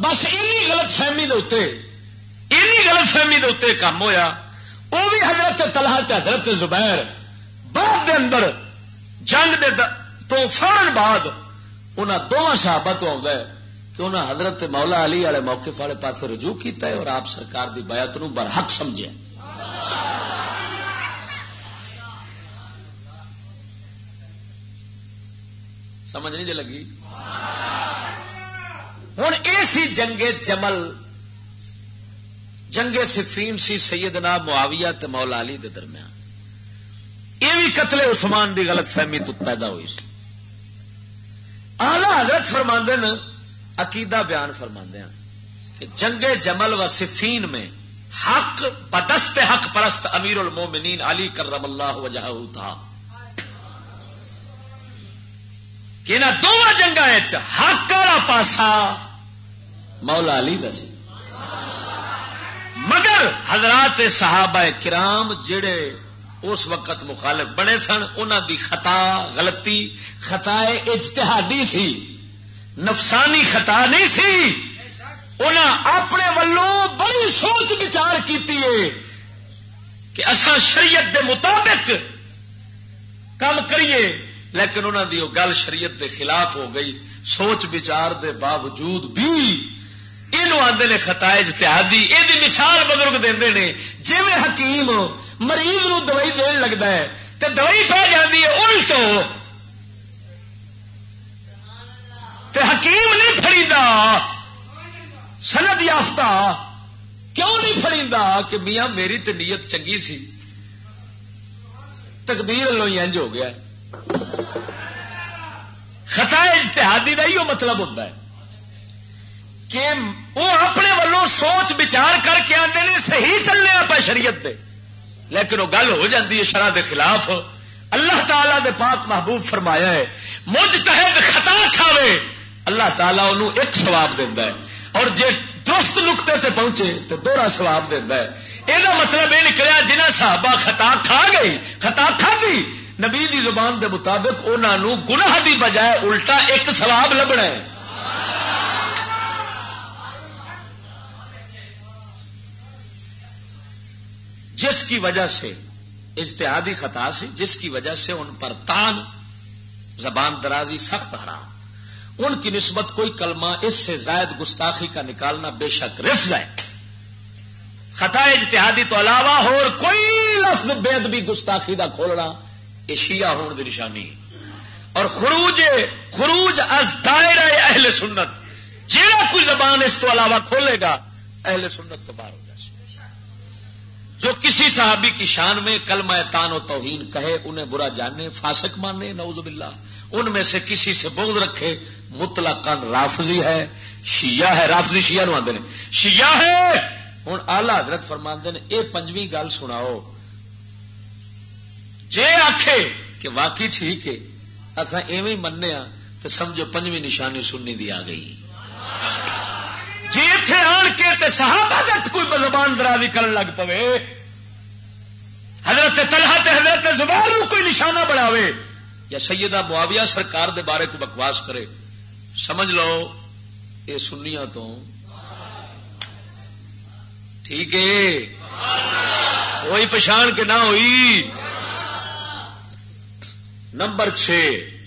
بس اینی غلط فہمی دے اُتے، اینی غلط فہمی دے اُتے کم ہویا۔ وہ بھی حضرت طلحہ تے حضرت زبیر بعد دے اندر جنگ دے د-، تو فوراً بعد انہاں دوواں صحابہ تو آوندا ہے کہ انہاں حضرت مولا علی والے موقف والے پاسے رجوع کیتا ہے اور آپ سرکار دی بیعت نو برحق سمجھیا۔ سمجھ نہیں جے لگی؟ ہن اے سی جنگ جمل، جنگ صفین سی سیدنا معاویہ تے مولا علی دے درمیان۔ اے وی قتل عثمان دی غلط فہمی تو پیدا ہوئی سی۔ اعلیٰ حضرت فرماندے نے، عقیدہ بیان فرماندے ہیں کہ جنگ جمل و صفین میں حق بدست حق پرست امیر المومنین علی کرم اللہ وجہہ تھا۔ کہ انہاں دوواں جنگاں وچ حق والا پاسا مولا علی دا سی۔ حضرات صحابہ کرام جڑے اس وقت مخالف بنے سن، انہاں دی خطا، غلطی، خطا اجتہادی سی، نفسانی خطا نہیں سی۔ انہاں اپنے ولوں بڑی سوچ بچار کیتی ہے کہ اساں شریعت دے مطابق کم کریے، لیکن انہاں دی وہ گل شریعت دے خلاف ہو گئی۔ سوچ بچار دے باوجود بھی اینو آندے نے خطا اجتہادی۔ اے دی مثال بزرگ دیندے نے، جویں حکیم مریض نو دوائی دین لگدا ہے تے دوائی پہ جاندی ہے الٹو، تے حکیم نہیں پھڑیندا، سند یافتہ کیوں نہیں پھڑیندا؟ کہ میاں، میری تے نیت چنگی سی، تقدیر اللہ ہی انج ہو گیا۔ خطا اجتہادی دا ایہو مطلب ہوندا ہے کہ وہ اپنے ولوں سوچ بچار کر کے آندے نے، صحیح چلنے آپ شریعت دے، لیکن وہ گل ہو جاندی ہے شرع دے خلاف۔ اللہ تعالیٰ دے پاک محبوب فرمایا ہے، مجتہد خطا کھاوے، اللہ تعالیٰ انہوں ایک ثواب دیندا ہے، اور جے درست نقطے تے پہنچے تے دوہرا ثواب دیندا ہے۔ اے دا مطلب اے نکلیا، جنہاں صحابہ خطا کھا گئی، خطا کھادی، نبی دی زبان دے مطابق انہاں نوں گناہ دی بجائے الٹا ایک ثواب لبھنا ہے۔ جس کی وجہ سے اجتہادی خطا سی، جس کی وجہ سے ان پر طعن، زبان درازی، سخت حرام۔ ان کی نسبت کوئی کلمہ اس سے زائد گستاخی کا نکالنا بے شک رفض ہے۔ خطا اجتہادی تو علاوہ اور کوئی لفظ بے ادبی، گستاخی دا کھولنا، یہ شیعہ ہون دی نشانی ہے۔ اور خروج، خروج از دائرہ اہل سنت، جیڑا کوئی زبان اس تو علاوہ کھولے گا، اہل سنت تو باہر ہو جائے۔ جو کسی صحابی کی شان میں کلمہ طعن و توہین کہے، انہیں برا جانے، فاسق مانے، نعوذ باللہ، ان میں سے کسی سے بغض رکھے، مطلقاً رافضی ہے، شیعہ ہے۔ رافضی شیعہ نو آندے نے، شیعہ ہے۔ ہن اعلی حضرت فرماندے نے، اے پنجویں گل سناؤ، جے آکھے کہ واقعی ٹھیک ہے، اساں ایویں ہی مننے ہاں، تے سمجھو پنجویں نشانی سنی دی آ گئی۔ جے ایتھے آن کے تے صحابہ دے تے کوئی زبان درازی کرن لگ پوے، حضرت طلحہ تے حضرت زبیر نو کوئی نشانہ بناوے، یا سیدہ معاویہ سرکار دے بارے کوئی بکواس کرے، سمجھ لو اے سنیاں تو ٹھیک ہے، ہوئی پچھان کہ نہ ہوئی؟ نمبر چھ،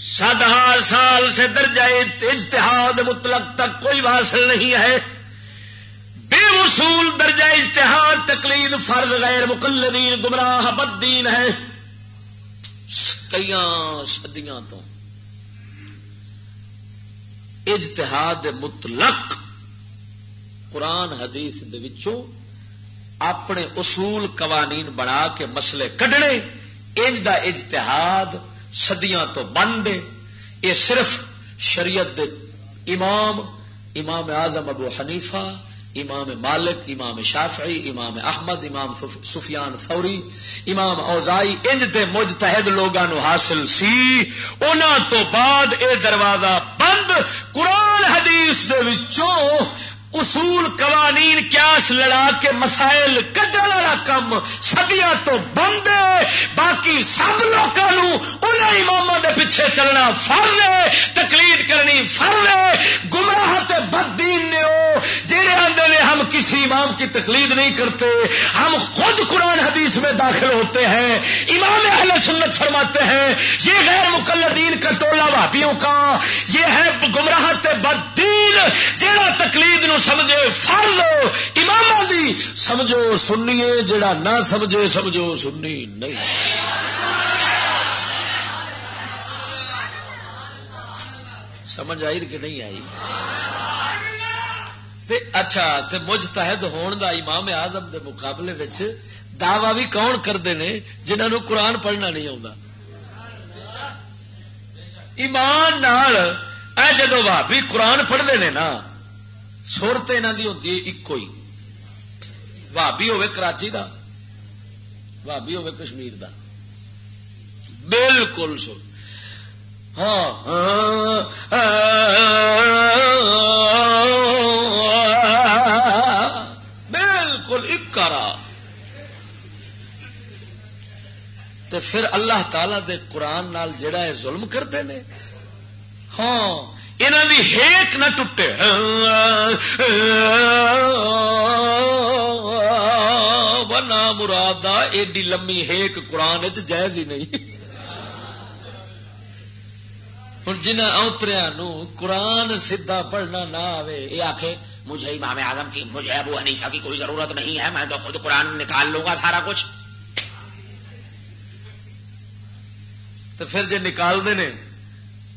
سات ہزار سال سے درجہ اجتہاد مطلق تک کوئی واصل نہیں ہے۔ بے وصول درجہ اجتہاد، تقلید فرض، غیر مقلدین گمراہ، بد دین ہے۔ کئیاں صدیاں تو اجتہاد مطلق قرآن حدیث دے وچوں اپنے اصول قوانین بنا کے مسئلے کڈنے، انج دا اجتہاد صدیاں تو بند ہے۔ یہ صرف شریعت دے امام، امام اعظم ابو حنیفہ، امام مالک، امام شافعی، امام احمد، امام سف-، سفیان ثوری، امام اوزائی، انج دے مجتہد لوگاں نو حاصل سی۔ انہاں تو بعد اے دروازہ بند۔ قرآن حدیث دے وچوں اصول، قوانین، قیاس لڑا کے مسائل کڈن والا کم صدیاں تو بند ہے۔ باقی سب لوکاں نو انہاں اماماں دے پیچھے چلنا فرض ہے، تقلید کرنی فرض ہے۔ گمراہ تے بددین نے او جڑے آندے نے، ہم کسی امام کی تقلید نہیں کرتے، ہم خود قرآن حدیث میں داخل ہوتے ہیں۔ امام اہل سنت فرماتے ہیں، یہ غیر مقلدین کا ٹولہ وہابیوں کا، یہ ہے گمراہ تے بددین، جڑا تقلید نو سمجھے فرض اماماں دی، سمجھو سنی ہے، جڑا نہ سمجھے، سمجھو سنی نہیں۔ سمجھ آئی کہ نہیں آئی؟ تے اچھا، تے مجتہد ہون دا امام اعظم دے مقابلے وچ دعویٰ بھی کون کردے نے، جنہاں نوں قرآن پڑھنا نہیں آوندا؟ ایمان نال، اے جدوں بھابی قرآن پڑھدے نے نا، سر تے انہاں دی ہوندی ہے اکو ہی، بھابی ہوے کراچی دا، بھابی ہوے کشمیر دا، بالکل سر۔ ہاں، ہاں، بالکل اکا راہ۔ پھر اللہ تعالیٰ دے قرآن نال جڑا ہے ظلم کردے نے۔ ہاں، انہاں دی ہیک نہ ٹوٹے۔ بنا مرادا ایڈی لمبی ہیک قرآن وچ جائز ہی نہیں۔ ہن جنہاں اونتریاں نو قرآن سیدھا پڑھنا نہ آوے، یہ آکھے، "مجھے امام اعظم کی، مجھے ابو حنیفہ کی کوئی ضرورت نہیں ہے، میں تو خود قرآن نکال لوں گا سارا کچھ۔" تو پھر جے نکال دے نے،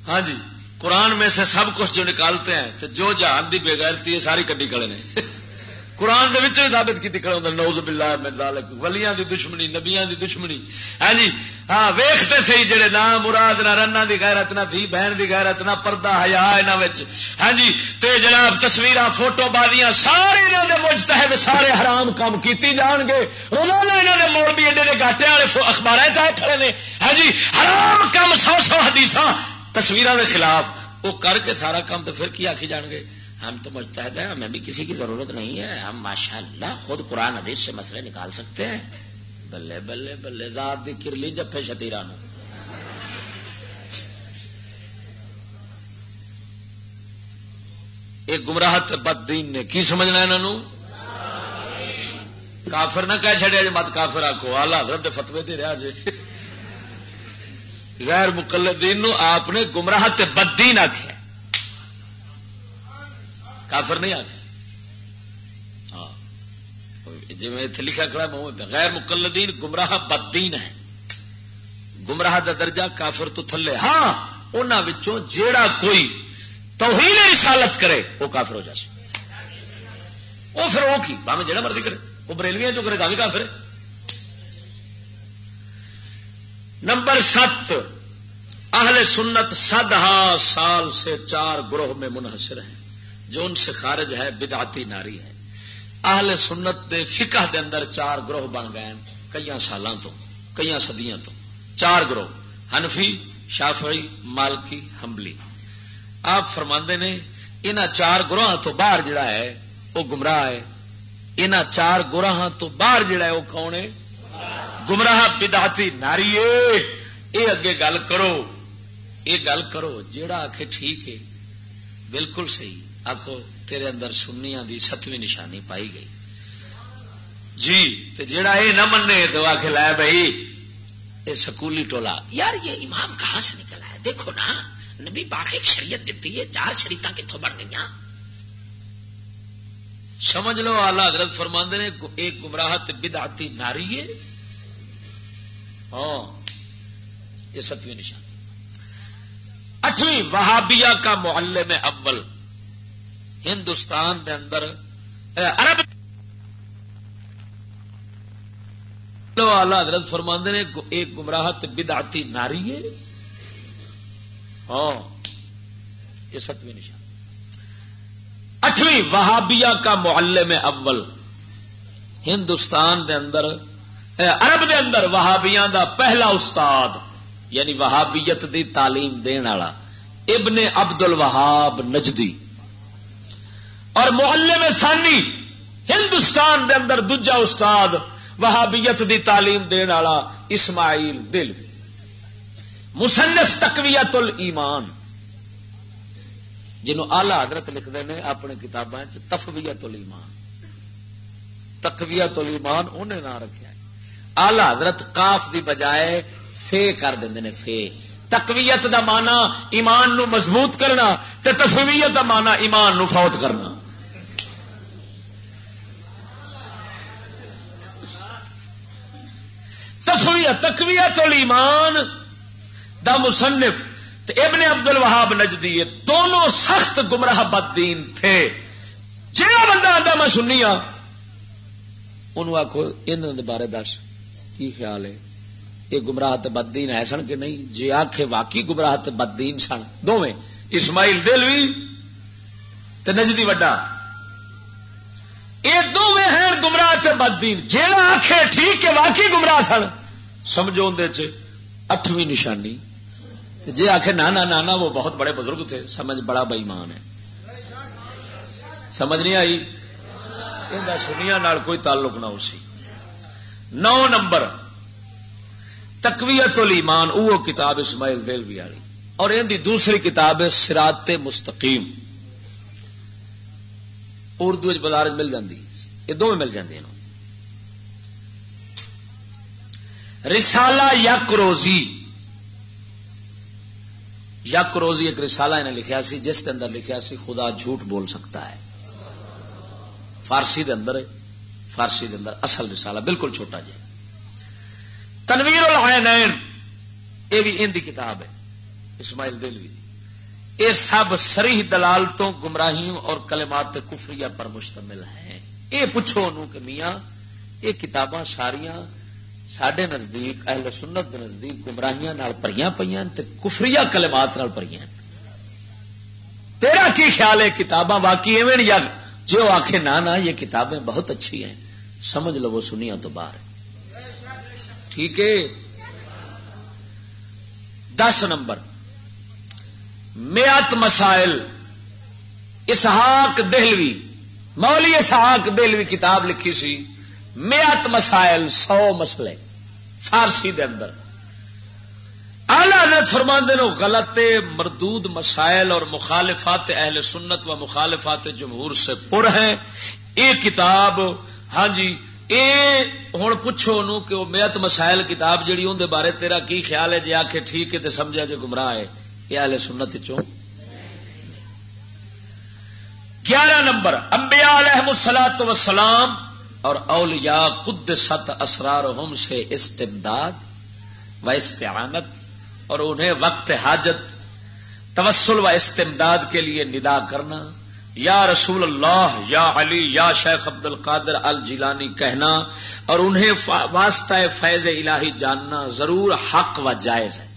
ہاں جی، قرآن میں سے سب کچھ جو نکالتے ہیں، تو جو جہان دی بے غیرتی ہے، ساری کڈی کھڑے نے۔ قرآن دے وچوں ہی ثابت کیتی کھڑے ہوندے، نعوذ باللہ من ذالک، ولیاں دی دشمنی، نبیاں دی دشمنی۔ ہاں جی، ہاں، ویکھتے سہی جڑے نا مراد، نہ رناں دی غیرت، نہ دھی بہن دی غیرت، نہ پردہ حیا انہاں وچ۔ ہاں جی، تے جناب تصویراں، فوٹو بازیاں، سارے انہاں دے مجتہد، سارے حرام کام کیتی جان گے۔ روزانہ انہاں دے مولوی ایڈے دے گاٹے والے فو-، اخباراں چ آئے کھڑے نے۔ ہاں جی، حرام کام، سو سو حدیثاں تصویراں دے خلاف، وہ کر کے سارا کام، تو پھر کی آکھی جان گے؟ ہم تو مجتہد ہیں، ہمیں بھی کسی کی ضرورت نہیں ہے، ہم ماشاءاللہ خود قرآن حدیث سے مسئلے نکال سکتے ہیں۔ بلے بلے بلے، ذات دی کرلی جپے شتیرا نو۔ یہ گمراہ تے بددین نے، کی سمجھنا انہاں نو؟ کافر نہ کہہ چھڑیا جے، مت کافر آکھو، اعلی حضرت دے فتوے تے رہیا جے۔ غیر مقلدین نو آپ نے گمراہ تے بددین آکھیا، کافر نہیں آکھیا۔ ہاں، جی میں اتھے لکھا کھڑا، میں اوہ پہ، غیر مقلدین گمراہ بددین ہے۔ گمراہ دا درجہ کافر تو تھلے۔ ہاں، انہاں وچوں جیڑا کوئی توہین رسالت کرے، وہ کافر ہو جاسے۔ وہ پھر وہ کی، بھاویں جیڑا مرضی کرے، وہ بریلویاں جو کرے، تاں وی کافر ہے۔ نمبر ست، اہل سنت صدہا سال سے چار گروہ میں منحصر ہیں۔ جو ان سے خارج ہے، بدعتی ناری ہے۔ اہل سنت دے فقہ دے اندر چار گروہ بن گئے ہیں، کئیاں سالاں تو، کئیاں صدیاں تو۔ چار گروہ، حنفی، شافعی، مالکی، حنبلی۔ آپ فرماندے نے، انہاں چار گروہاں تو باہر جڑا ہے، وہ گمراہ ہے۔ انہاں چار گروہاں تو باہر جڑا ہے، وہ کون ہے؟ گمراہ، بدعتی، ناری ہے۔ اے اگے گل کرو، اے گل کرو، جیڑا آکھے ٹھیک ہے، بالکل صحیح، آکھو تیرے اندر سنیاں دی ستویں نشانی پائی گئی۔ جی، تے جیڑا اے نہ منے تو آکھے، لے بھائی، اے سکولی ٹولا۔ یار، یہ امام کہاں سے نکل آیا؟ دیکھو نا، نبی پاک ایک شریعت دیتی ہے، چار شریعتاں کتھوں بن گئیاں؟ سمجھ لو، اعلی حضرت فرماندے نے، ایک گمراہ تے بدعتی ناری ہے۔ ہاں، یہ ستویں نشانی۔ اٹھویں، وہابیہ کا معلم اول ہندوستان دے اندر، اے، عرب لو، اعلی حضرت فرماندے نے، ایک گمراہ تے بدعتی ناری ہے۔ ہاں، یہ ستویں نشانی۔ اٹھویں، وہابیہ کا معلم اول ہندوستان دے اندر، اے، عرب دے اندر وہابیاں دا پہلا استاد، یعنی وہابیت دی تعلیم دین والا، ابن عبد الوہاب نجدی۔ اور معلم ثانی، ہندوستان دے اندر دوجا استاد وہابیت دی تعلیم دین والا، اسماعیل دہلوی، مصنف تقویت الایمان، جنہوں اعلی حضرت لکھدے نے اپنے کتاباں چ تفویت الایمان۔ تقویت الایمان انہیں نام رکھیا ہے۔ اعلی حضرت قاف دی بجائے فے کر دیندے نے، فے۔ تقویت دا معنی ایمان نو مضبوط کرنا، تے تفویت دا معنی ایمان نو فوت کرنا۔ تفویہ، تقویت الایمان دا مصنف تے ابن عبد الوہاب نجدی، یہ دونوں سخت گمراہ بددین تھے۔ جہڑا بندہ آندا میں سنی ہاں، انہوں آکھو، انہاں دے بارے دس، کی خیال ہے؟ یہ گمراہ تے بددین ہے سن کہ نہیں؟ جے آکھے واقعی گمراہ تے بددین سن دوویں، اسماعیل دہلوی تے نجدی وڈا، یہ دوویں ہیں گمراہ تے بددین۔ جیڑا آکھے ٹھیک کہ واقعی گمراہ سن، سمجھو اندے چ اٹھویں نشانی۔ تے جے آکھے، "نہ، نہ، نہ، نہ، وہ بہت بڑے بزرگ تھے، سمجھ، بڑا بے ایمان ہے۔" سمجھ نہیں آئی؟ ان دا سنیاں نال کوئی تعلق نہ ہو سی۔ نو نمبر، تقویت الایمان، وہ کتاب اسماعیل دہلوی والی، اور ان دی دوسری کتاب ہے صراط مستقیم، اردو وچ بازار وچ مل جاندی، یہ دونوں مل جاندی ہیں۔ رسالہ یک روزی، یک روزی ایک رسالہ انہیں لکھیا سی، جس کے اندر لکھیا سی خدا جھوٹ بول سکتا ہے۔ فارسی دے اندر، فارسی دے اندر اصل رسالہ بالکل چھوٹا جہا۔ تنویر العینین، یہ بھی ان دی کتاب ہے، اسماعیل دہلوی دی۔ یہ سب صریح دلال تو گمراہیوں اور کلمات کفریہ پر مشتمل ہیں۔ یہ پوچھو انہوں کہ میاں، یہ کتاباں ساریاں ساڈے نزدیک، اہل سنت دے نزدیک گمراہیاں نال بھریاں پئیاں تے کفریہ کلمات نال بھریاں۔ تیرا کی خیال ہے، کتاباں واقعی ایویں یا؟ جے وہ آکھے، "نہ، نہ، یہ کتابیں بہت اچھی ہیں، سمجھ لو وہ سنیاں تو باہر ہے۔" ٹھیک ہے۔ دس نمبر، میات مسائل، اسحاق دہلوی، مولوی اسحاق دہلوی کتاب لکھی سی، میات مسائل، سو مسئلے، فارسی دے اندر۔ اعلیٰ حضرت فرماندے نے، غلط مردود مسائل اور مخالفات اہل سنت و مخالفات جمہور سے پر ہیں۔ یہ کتاب، ہاں جی، اے ہن پوچھو انہوں کہ وہ میت مسائل کتاب جڑی، اون دے بارے تیرا کی خیال ہے؟ جے آکھے ٹھیک ہے تے سمجھا جے گمراہ ہے، یہ اہل سنت چوں۔ گیارہ نمبر، انبیاء علیہ الصلوۃ والسلام اور اولیاء قدست اسرارہم سے استمداد و استعانت، اور انہیں وقت حاجت توسل و استمداد کے لیے ندا کرنا، یا رسول اللہ، یا علی، یا شیخ عبد القادر الجیلانی کہنا، اور انہیں فا-، واسطہ فیض الہی جاننا ضرور حق و جائز ہے۔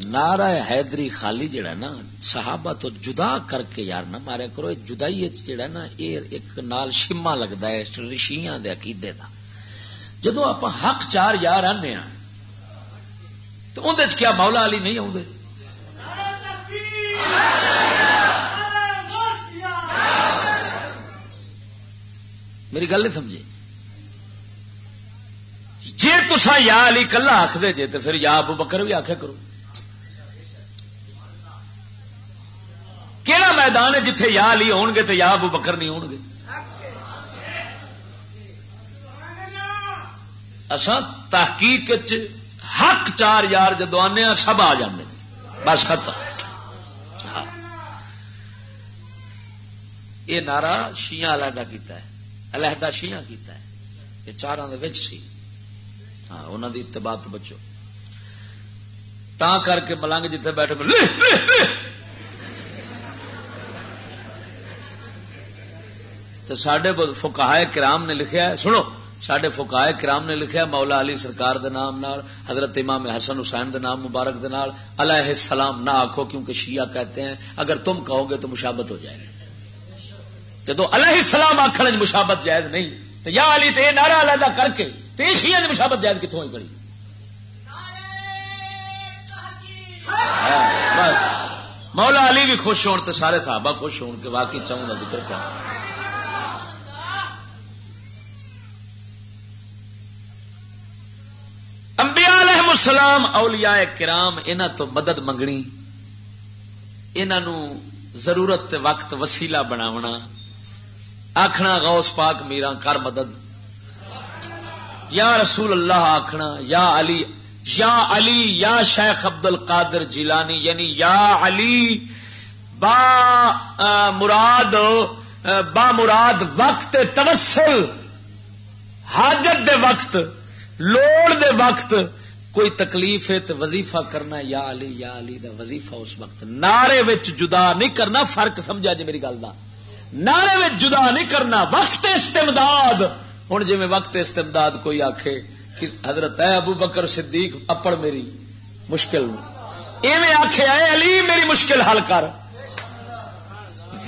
نعرہ حیدری خالی جڑا نا، صحابہ تو جدا کر کے یار نہ ماریا کرو۔ یہ جدائی وچ جڑا نا، یہ ایک نال شمع لگدا ہے شیعاں دے عقیدے دا۔ جدوں آپ حق چار یار آنے ہاں، تو اندر کیا مولا علی نہیں آؤندے؟ میری گل نہیں سمجھے؟ جے تساں یا علی کلا آکھ دے جے، تے پھر یا ابو بکر بھی آکھیا کرو۔ کیڑا میدان ہے جتھے یا علی ہون گے تے یا ابو بکر نہیں ہون گے؟ اساں تحقیق وچ حق چار یار جدوں آنے آ، سب آ جاندے نے۔ بس ختم۔ ہاں۔ یہ نعرہ شیعہ علیحدہ کیتا ہے، علیحدہ شیعہ کیتا ہے۔ یہ چاراں دے وچ سی۔ ہاں، انہاں دی اتباع تو بچو۔ تاں کر کے ملنگ جتھے بیٹھے، لے، لے، لے۔ تے ساڈے ب-، فقہائے کرام نے لکھیا ہے، سنو، ساڈے فقہائے کرام نے لکھیا، مولا علی سرکار دے نام نال، حضرت امام حسن حسین دے نام مبارک دے نال، علیہ السلام نہ آکھو، کیونکہ شیعہ کہتے ہیں اگر تم کہو گے تو مشابت ہو جائے گی۔ جدو علیہ السلام آکھن وچ مشابت جائز نہیں، تو یا علی تے یہ نعرہ علیحدہ کر کے تے شیعہ دی مشابت جائز کتوں ہوئی کھڑی؟ ہاں، بس۔ مولا علی بھی خوش ہون تے سارے صحابہ خوش ہون کہ واقعی چاہوں دا ذکر کر۔ انبیاء علیہ السلام، اولیاء کرام، انہاں تو مدد منگنی، انہاں نو ضرورت تے وقت وسیلہ بناونا، آکھنا، "غوث پاک میراں کر مدد، یا رسول اللہ"، آکھنا، "یا علی، یا علی، یا شیخ عبد القادر جیلانی"، یعنی یا علی با، آ، مراد، آ، با مراد وقت توسل، حاجت دے وقت، لوڑ دے وقت کوئی تکلیف ہے تے وظیفہ کرنا، یا علی، یا علی دا وظیفہ اس وقت۔ نعرے وچ جدا نہیں کرنا، فرق سمجھا جی میری گل دا۔ نعرے وچ جدا نہیں کرنا، وقت استمداد۔ ہن جویں وقت استمداد کوئی آکھے کہ حضرت اے ابو بکر صدیق اپڑ میری مشکل نوں، ایویں آکھے، "اے علی میری مشکل حل کر۔"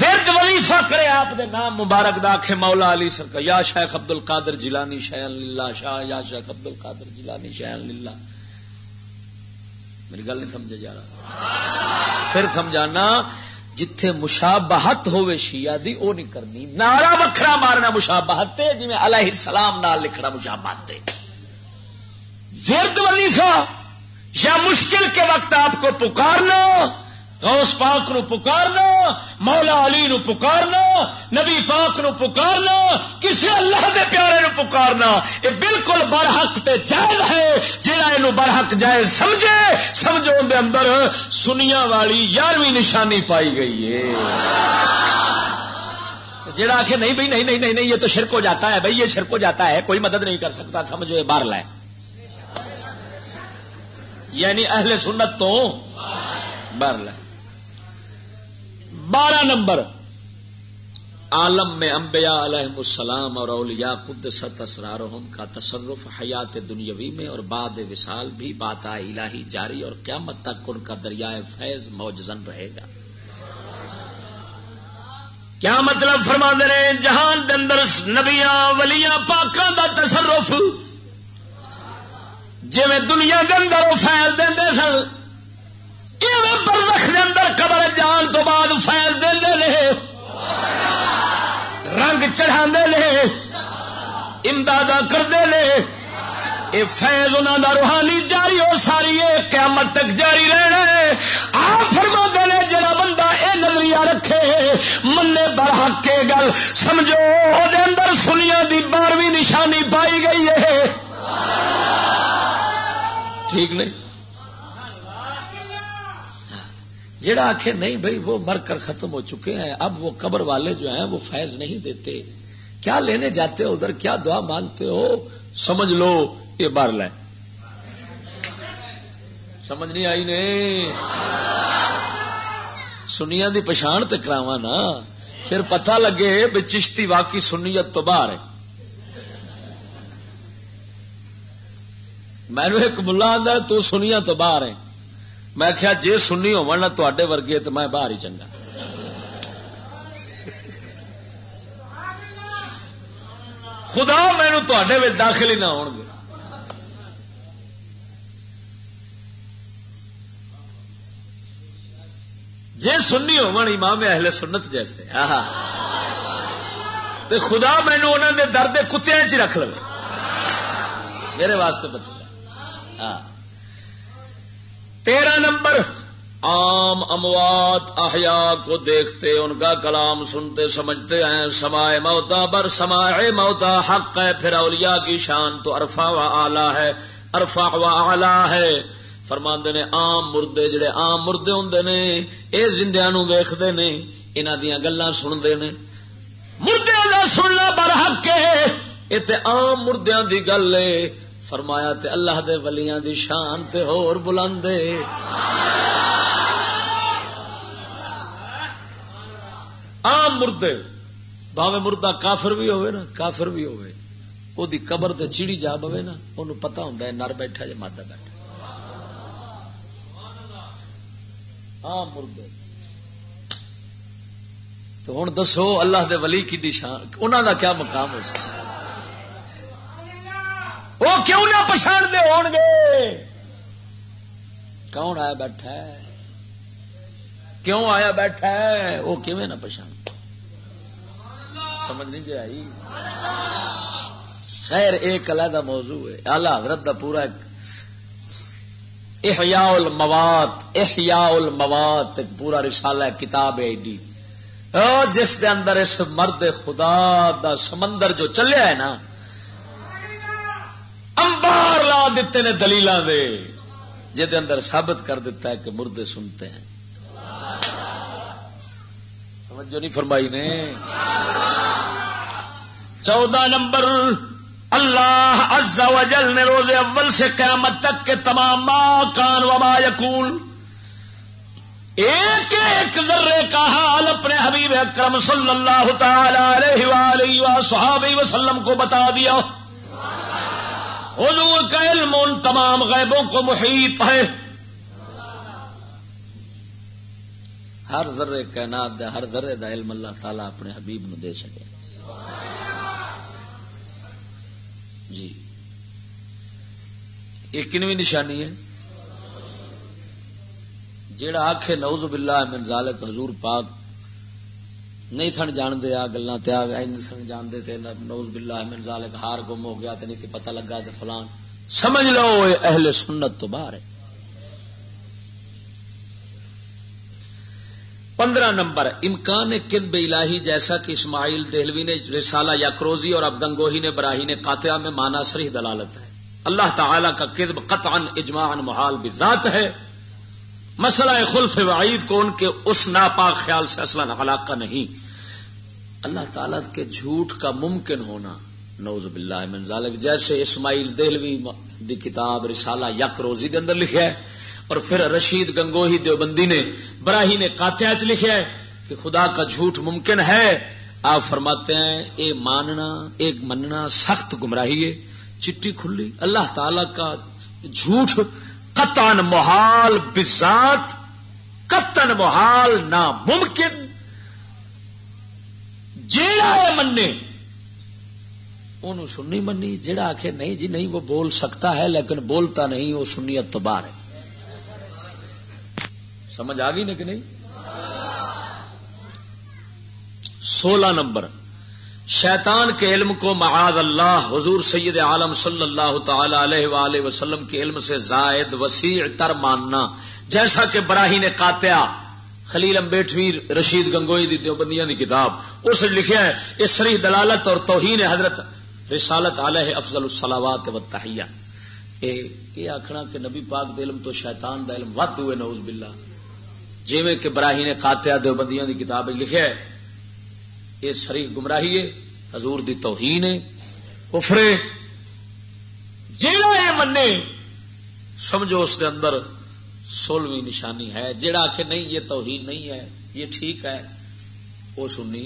ورد تعریفاں کرے آپ دے نام مبارک دا، آکھے مولا علی سرکار، یا شیخ عبد القادر جیلانی شیئا للہ، شاہ یا شیخ عبد القادر جیلانی شیئا للہ۔ میری گل نہیں سمجھے جا رہا؟ پھر سمجھانا، جتھے مشابہت ہوے شیعہ دی، او نہیں کرنی۔ نعرہ وکھرا مارنا مشابہت تے، جویں علیہ السلام نال لکھنا مشابہت تے۔ ورد وظیفہ یا مشکل کے وقت آپ کو پکارنا، غوث پاک نو پکارنا، مولا علی نو پکارنا، نبی پاک نو پکارنا، کسی اللہ دے پیارے نو پکارنا، یہ بالکل برحق تے جائز ہے۔ جڑا اینو برحق جائز سمجھے، سمجھو اون دے اندر سنیاں والی یارویں نشانی پائی گئی ہے۔ جڑا آکھے، "نہیں بھائی، نہیں، نہیں، نہیں، نہیں، یہ تو شرک ہو جاتا ہے بھائی، یہ شرک ہو جاتا ہے، کوئی مدد نہیں کر سکتا"، سمجھو یہ باہر لائے، یعنی اہل سنت تو باہر لائے۔ بارہ نمبر، عالم میں انبیاء علیہ السلام اور اولیاء قدست اسرارہم کا تصرف حیات دنیاوی میں اور بعد وصال بھی باتائے الہی جاری اور قیامت تک ان کا دریائے فیض موجزن رہے گا۔ کیا مطلب فرما نے؟ جہان دے اندر نبیاں، ولیاں، پاکاں دا تصرف، جویں دنیا دے اندر وہ فیض دیندے سن، ایویں برزخ دے اندر قبر جان تو بعد فیض دیندے نے، رنگ چڑھاندے نے، امداداں کردے نے۔ اے فیض انہاں دا روحانی جاری ہو ساری ہے، قیامت تک جاری رہنا ہے۔ آپ فرماندے نے، جڑا بندہ اے نظریہ رکھے، منے برحق اے گل، سمجھو او دے اندر سنیاں دی بارہویں نشانی پائی گئی ہے۔ ٹھیک نہیں؟ جڑا آکھے، "نہیں بھائی، وہ مر کر ختم ہو چکے ہیں، اب وہ قبر والے جو ہیں، وہ فیض نہیں دیتے، کیا لینے جاتے ہو ادھر، کیا دعا مانگتے ہو؟" سمجھ لو، یہ بار لے۔ سمجھ نہیں آئی نے؟ سنیاں دی پچھان تے کراواں نا، پھر پتہ لگے بھی چشتی واقعی سنیت تو باہر ہے۔ مینوں ایک ملا آندا، "تو سنیاں تو باہر ہے۔" میں کہیا، "جے سنی ہوون نا تہاڈے ورگے تے میں باہر ہی چنگا۔" خدا مینوں تہاڈے وچ داخل ہی نہ ہون دے۔ جے سنی ہون امام اہل سنت جیسے، آہا، تے خدا مینوں انہاں دے در دے کتیاں چ رکھ لوے۔ میرے واسطے بتلا۔ ہاں۔ تیرہ نمبر، عام اموات احیاء کو دیکھتے، ان کا کلام سنتے، سمجھتے ہیں۔ سماع موتا بر سماع موتا حق ہے، پھر اولیاء کی شان تو ارفع و اعلیٰ ہے، ارفع و اعلیٰ ہے۔ فرماندے نے، عام مردے، جڑے عام مردے ہوندے نے، اے زندیاں نوں ویکھدے نے، انہاں دیاں گلاں سنندے نے۔ مردیاں دا سننا برحق ہے، اے تے عام مردیاں دی گل ہے۔ فرمایا، تے اللہ دے ولیاں دی شان تے ہور بلند ہے۔ عام مردے، بھاویں مردہ کافر بھی ہوئے نا، کافر بھی ہوئے، او دی قبر تے چیڑی جا بوے نا، اونوں پتہ ہوندا ہے نر بیٹھا یا مادہ بیٹھا۔ عام مردے۔ تو ہن دسو، اللہ دے ولی کی شان، انہاں دا کیا مقام ہو سکتا؟ وہ کیوں نہ پچھاندے ہون گے؟ کون آیا بیٹھا ہے؟ کیوں آیا بیٹھا ہے؟ وہ کیویں نہ پچھان؟ سمجھ نہیں جی آئی؟ خیر، ایک علیحدہ موضوع ہے۔ اعلیٰ حضرت دا پورا ایک احیاء الموات، احیاء الموات ایک پورا رسالہ ہے، کتاب ہے ایڈی۔ او، جس دے اندر اس مرد خدا دا سمندر جو چلیا ہے نا، انبار لا دیتے نے دلیلاں دے، جس دے اندر ثابت کر دیتا ہے کہ مردے سنتے ہیں۔ توجہ نہیں فرمائی نے۔ چودہ نمبر، اللہ عز و جل نے روز اول سے قیامت تک کے تمام ما کان و ما یکون، ایک ایک ذرے کا حال اپنے حبیب اکرم صلی اللہ تعالی علیہ وآلہ و صحابہ وسلم کو بتا دیا۔ حضور کا علم ان تمام غیبوں کو محیط ہے۔ ہر ذرے کائنات دے ہر ذرے دا علم اللہ تعالیٰ اپنے حبیب نو دے سکے۔ جی، یہ کنویں نشانی ہے؟ جیڑا آکھے نعوذ باللہ من ذالک، حضور پاک نہیں سن جان دے، آ گلاں تے آ گئے، نہیں سن جان دے تے نعوذ باللہ من ذالک ہار گم ہو گیا تے نہیں سی پتہ لگا تے فلان، سمجھ لو اے اہل سنت تو باہر ہے۔ پندرہ نمبر، امکان کذب الہی، جیسا کہ اسماعیل دہلوی نے رسالہ یک روزی اور اب گنگوہی نے براہین قاطعہ میں مانا صریح دلالت ہے۔ اللہ تعالیٰ کا کذب قطعاً اجماعاً محال بذات ہے۔ مسئلہ خلف وعید کو ان کے اس ناپاک خیال سے اصلاً علاقہ نہیں۔ اللہ تعالیٰ کے جھوٹ کا ممکن ہونا، نعوذ باللہ من ذالک، جیسے اسماعیل دہلوی دی کتاب رسالہ یک روزی دے اندر لکھیا ہے، اور پھر رشید گنگوہی دیوبندی نے براہی نے قاطعہ چ لکھیا ہے کہ خدا کا جھوٹ ممکن ہے۔ آپ فرماتے ہیں، اے ماننا، اے مننا سخت گمراہی ہے، چٹی کھلی۔ اللہ تعالیٰ کا جھوٹ قطعاً محال بذات، قطعاً محال، ناممکن۔ جیڑا اے منے، اونوں سنی منی، جیڑا آکھے نہیں جی نہیں، وہ بول سکتا ہے لیکن بولتا نہیں، وہ سنیت تو باہر ہے۔ سمجھ آ گئی نا کہ نہیں؟ سولہ نمبر، شیطان کے علم کو معاذ اللہ حضور سید عالم صلی اللہ تعالی علیہ وآلہ وسلم کے علم سے زائد وسیع تر ماننا، جیسا کہ براہین قاطعہ خلیل امبیٹوی رشید گنگوئی دی دیوبندیاں دی کتاب، اس وچ لکھیا ہے، یہ صریح دلالت اور توہین حضرت رسالت علیہ افضل الصلوات و تحیہ۔ اے، اے آکھنا کہ نبی پاک دے علم تو شیطان دا علم ودھ ہوئے، نعوذ باللہ۔ جویں کہ براہین قاطعہ دیوبندیاں دی کتاب وچ لکھیا ہے، یہ صریح گمراہی ہے، حضور دی توہین ہے، کفر ہے۔ جیڑا یہ منے، سمجھو اس دے اندر سولہویں نشانی ہے۔ جیڑا آکھے نہیں، یہ توہین نہیں ہے، یہ ٹھیک ہے، وہ سنی۔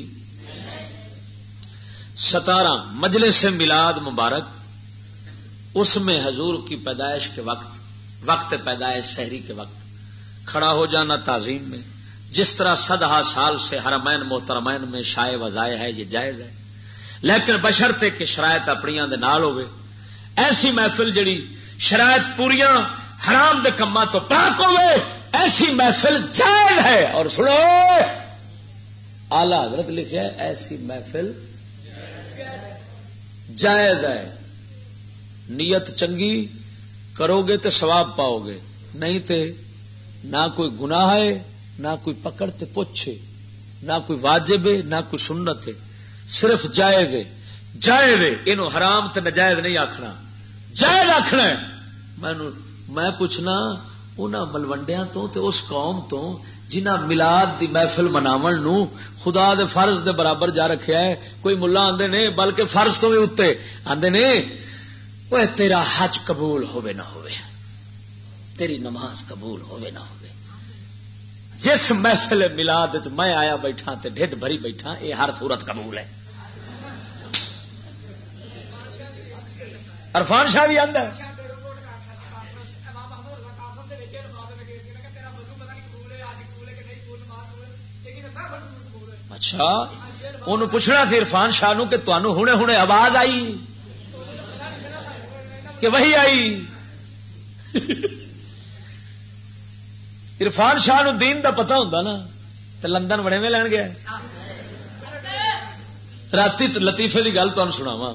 ستارہ، مجلس میلاد مبارک، اس میں حضور کی پیدائش کے وقت، وقت پیدائش، سحری کے وقت کھڑا ہو جانا تعظیم میں، جس طرح صدہا سال سے حرمین محترمین میں شائع و ضائع ہے، یہ جائز ہے، لیکن بشرطے کہ شرائط اپنیاں دے نال ہوئے۔ ایسی محفل جڑی شرائط پوریاں، حرام دے کماں تو پاک ہوئے، ایسی محفل جائز ہے۔ اور سنو، اعلی حضرت لکھیا ہے، ایسی محفل جائز ہے۔ نیت چنگی کرو گے تے ثواب پاؤ گے، نہیں تے نہ کوئی گناہ ہے، نہ کوئی پکڑ تے پوچھے، نہ کوئی واجب ہے، نہ کوئی سنت ہے، صرف جائز ہے۔ جائز ہے، اینو حرام تے نجائز نہیں آکھنا، جائز آکھنا ہے۔ مینوں، میں پوچھنا انہاں ملوڈیاں تو تے اس قوم تو جنہاں میلاد دی محفل مناون نو خدا دے فرض دے برابر جا رکھیا ہے۔ کوئی ملا آندے نے، بلکہ فرض تو بھی اُتے آندے نے، اوہ تیرا حج قبول ہووے نہ ہووے، تیری نماز قبول ہووے نہ ہووے، جس محفل میلاد وچ میں آیا بیٹھا تے ڈھڈ بھری بیٹھا، اے ہر صورت قبول ہے۔ عرفان شاہ بھی آندا ہے۔ اچھا، انہوں پوچھنا سی عرفان شاہ نو کہ تانوں ہنے ہنے آواز آئی کہ وہی آئی؟ عرفان شاہ نو دین دا پتہ ہوندا نا، تے لندن وڑے میں لین گیا۔ راتی تے لطیفے دی گل تانوں سناواں۔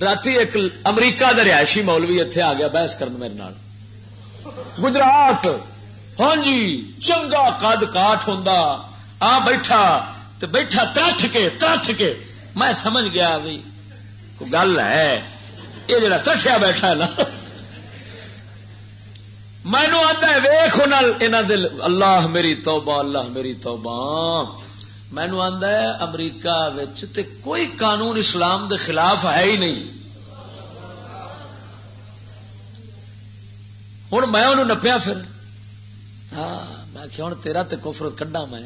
راتی ایک امریکہ دا رہائشی مولوی اتھے آ گیا بحث کرن میرے نال۔ گجرات، ہاں جی، چنگا قد کاٹ ہوندا، آ بیٹھا تے بیٹھا ترٹھ کے، ترٹھ کے۔ میں سمجھ گیا بھی کوئی گل ہے، یہ جڑا ترٹھیا بیٹھا ہے نا۔ مینوں آندا ہے، ویکھ انہاں، انہاں دے، اللہ میری توبہ، اللہ میری توبہ۔ مینوں آندا ہے، امریکہ وچ تے کوئی قانون اسلام دے خلاف ہے ہی نہیں۔ ہن میں انہوں نپیا پھر۔ ہاں، میں آکھیا، ہن تیرا تے کفر کڈاں میں۔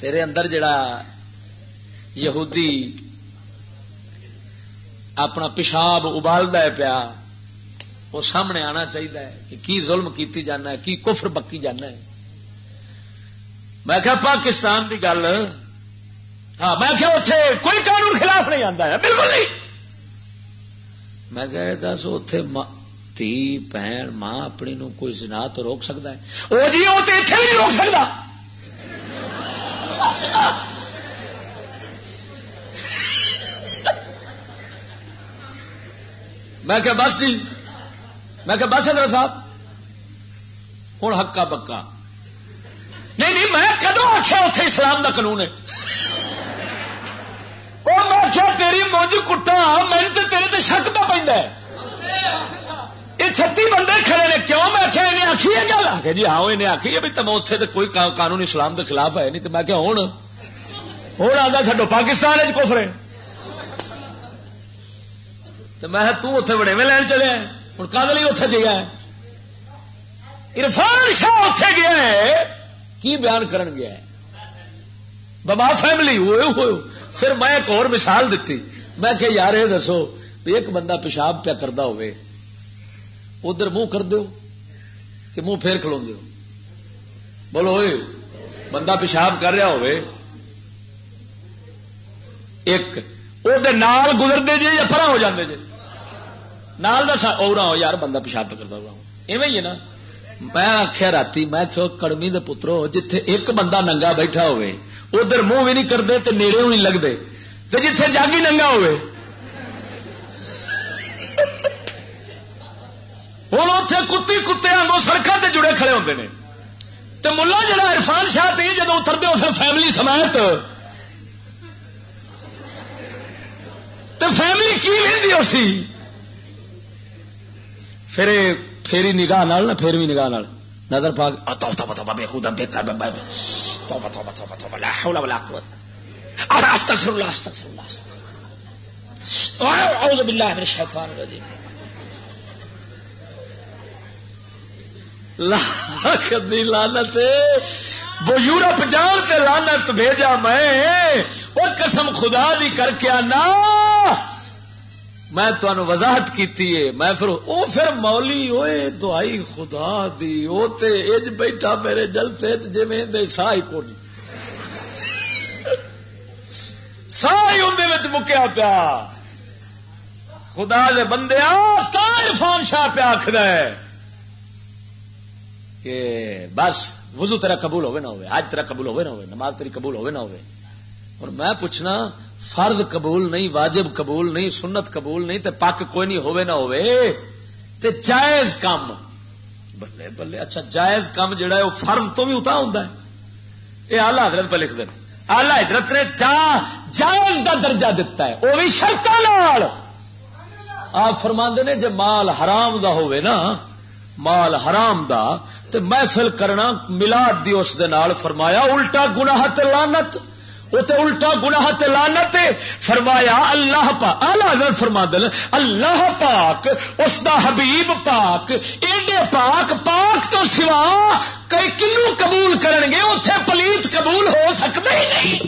تیرے اندر جڑا یہودی اپنا پیشاب ابالدا ہے پیا، وہ سامنے آنا چاہیے کہ کی ظلم کیتی جانا ہے، کی کفر بکی جانا ہے۔ میں کہا، "پاکستان دی گل۔" ہاں، میں کہا، "اتھے کوئی قانون خلاف نہیں آندا ہے، بالکل نہیں۔" میں کہا، "اے دس، اتھے ماں، دھی، بہن، ماں اپنی نو کوئی زنا تو روک سکدا ہے؟" او جی، او تے اتھے بھی نہیں روک سکدا۔ میں کہا، "بس جی۔" میں کہا، "بس حضرت صاحب، ہن ہکا بکا۔" نہیں، نہیں، میں کدوں آخیا اتھے اسلام دا قانون ہے؟ او، میں آخیا، "تیری مونج کٹا، مینوں تے تیرے تے شک پہ پیندا ہے۔" یہ چھتی بندے کھڑے نے، "کیوں؟" میں آخیا، "انہیں آخی یہ گل؟" آ کے، "جی ہاں، انہیں آخی ہے بھی تم اتھے تے کوئی قا-، قانون اسلام دے خلاف ہے نہیں۔" تے میں کہا، "ہن، ہن آندا چھڈو، پاکستان وچ کفر ہے۔" تے میں کہا، "توں اتھے وڈیوے لین چلے آئے، ہن کد لئی اتھے جایا ہے؟" عرفان شاہ اتھے گیا ہے، کی بیان کرن گیا ہے؟ بابا فیملی ہوئے ہوئے۔ پھر میں ایک اور مثال دتی۔ میں کہ، "یار، یہ دسو بھی ایک بندہ پیشاب پیا کردا ہوئے، ادھر منہ کر دیو کہ منہ پھیر کھلوندے ہو؟ بولو اوئے، بندہ پیشاب کر رہا ہوئے، ایک او دے نال گزردے جے یا پرا ہو جاندے جے؟ نال دا سا-، او رہا ہو یار، بندہ پیشاب پہ کردا ہوا ہو۔" ایویں ہی ہے نا۔ میں آکھیا راتی، میں کہو، "کڑمی دے پترو، جتھے ایک بندہ ننگا بیٹھا ہوئے، ادھر منہ بھی نہیں کردے تے نیڑے بھی نہیں لگدے، تے جتھے جاگی ننگا ہوئے۔" ہن اوتھے کتی کتے وانگوں سڑکاں تے جڑے کھڑے ہوندے نے۔ تے ملا جڑا عرفان شاہ تے جدوں اتردے، اس فیملی سمیت، تے فیملی کی ویندی ہو سی؟ پھر اے، پھیری نگاہ نال نا، پھیرویں نگاہ نال نظر پا کے، "آ، توبہ، توبہ، توبہ، بے ہدا، بے کر، بے، بے، توبہ، توبہ، توبہ، توبہ، لا حول ولا قوت۔ آ، استغفر اللہ، استغفر اللہ، استغفر اللہ۔ اعوذ باللہ من الشیطان الرجیم۔" لاکھ دی لعنت۔ وہ یورپ جان تے لعنت بھیجا میں۔ وہ قسم خدا دی کر کے آنا، میں تانوں وضاحت کیتی ہے۔ میں پھر، او پھر مولی، اوئے دعائی خدا دی، او تے اج بیٹھا میرے جلسے وچ جویں دے ساہ ہی کونی۔ ساہ ہی اوندے وچ مکیا پیا۔ خدا دے بندے، تا عرفان شاہ پیا آکھدا ہے کہ بس وضو تیرا قبول ہوئے نہ ہوئے، حج تیرا قبول ہوئے نہ ہوئے، نماز تیری قبول ہوئے نہ ہوئے۔ اور میں پوچھنا، فرض قبول نہیں، واجب قبول نہیں، سنت قبول نہیں، تے پک کوئی نہیں ہوئے نہ ہوئے، تے جائز کم، بلے بلے، اچھا، جائز کم جڑا ہے، وہ فرض تو بھی اتنا ہوندا ہے۔ یہ اعلیٰ حضرت پہ لکھ دیں، اعلیٰ حضرت نے جا-، جائز دا درجہ دتا ہے، وہ بھی شرطاں نال۔ آپ فرماندے نے، جے مال حرام دا ہوئے نا، مال حرام دا، تے محفل کرنا میلاد دی اس دے نال، فرمایا، الٹا گناہ تے لعنت، او تے الٹا گناہ تے لعنت ہے۔ فرمایا، اللہ پاک، اعلیٰ حضرت فرماندے نے، اللہ پاک، اس دا حبیب پاک، ایڈے پاک، پاک تو سوا کئی کنوں قبول کرن گے؟ اتھے پلیت قبول ہو سکدا ہی نہیں۔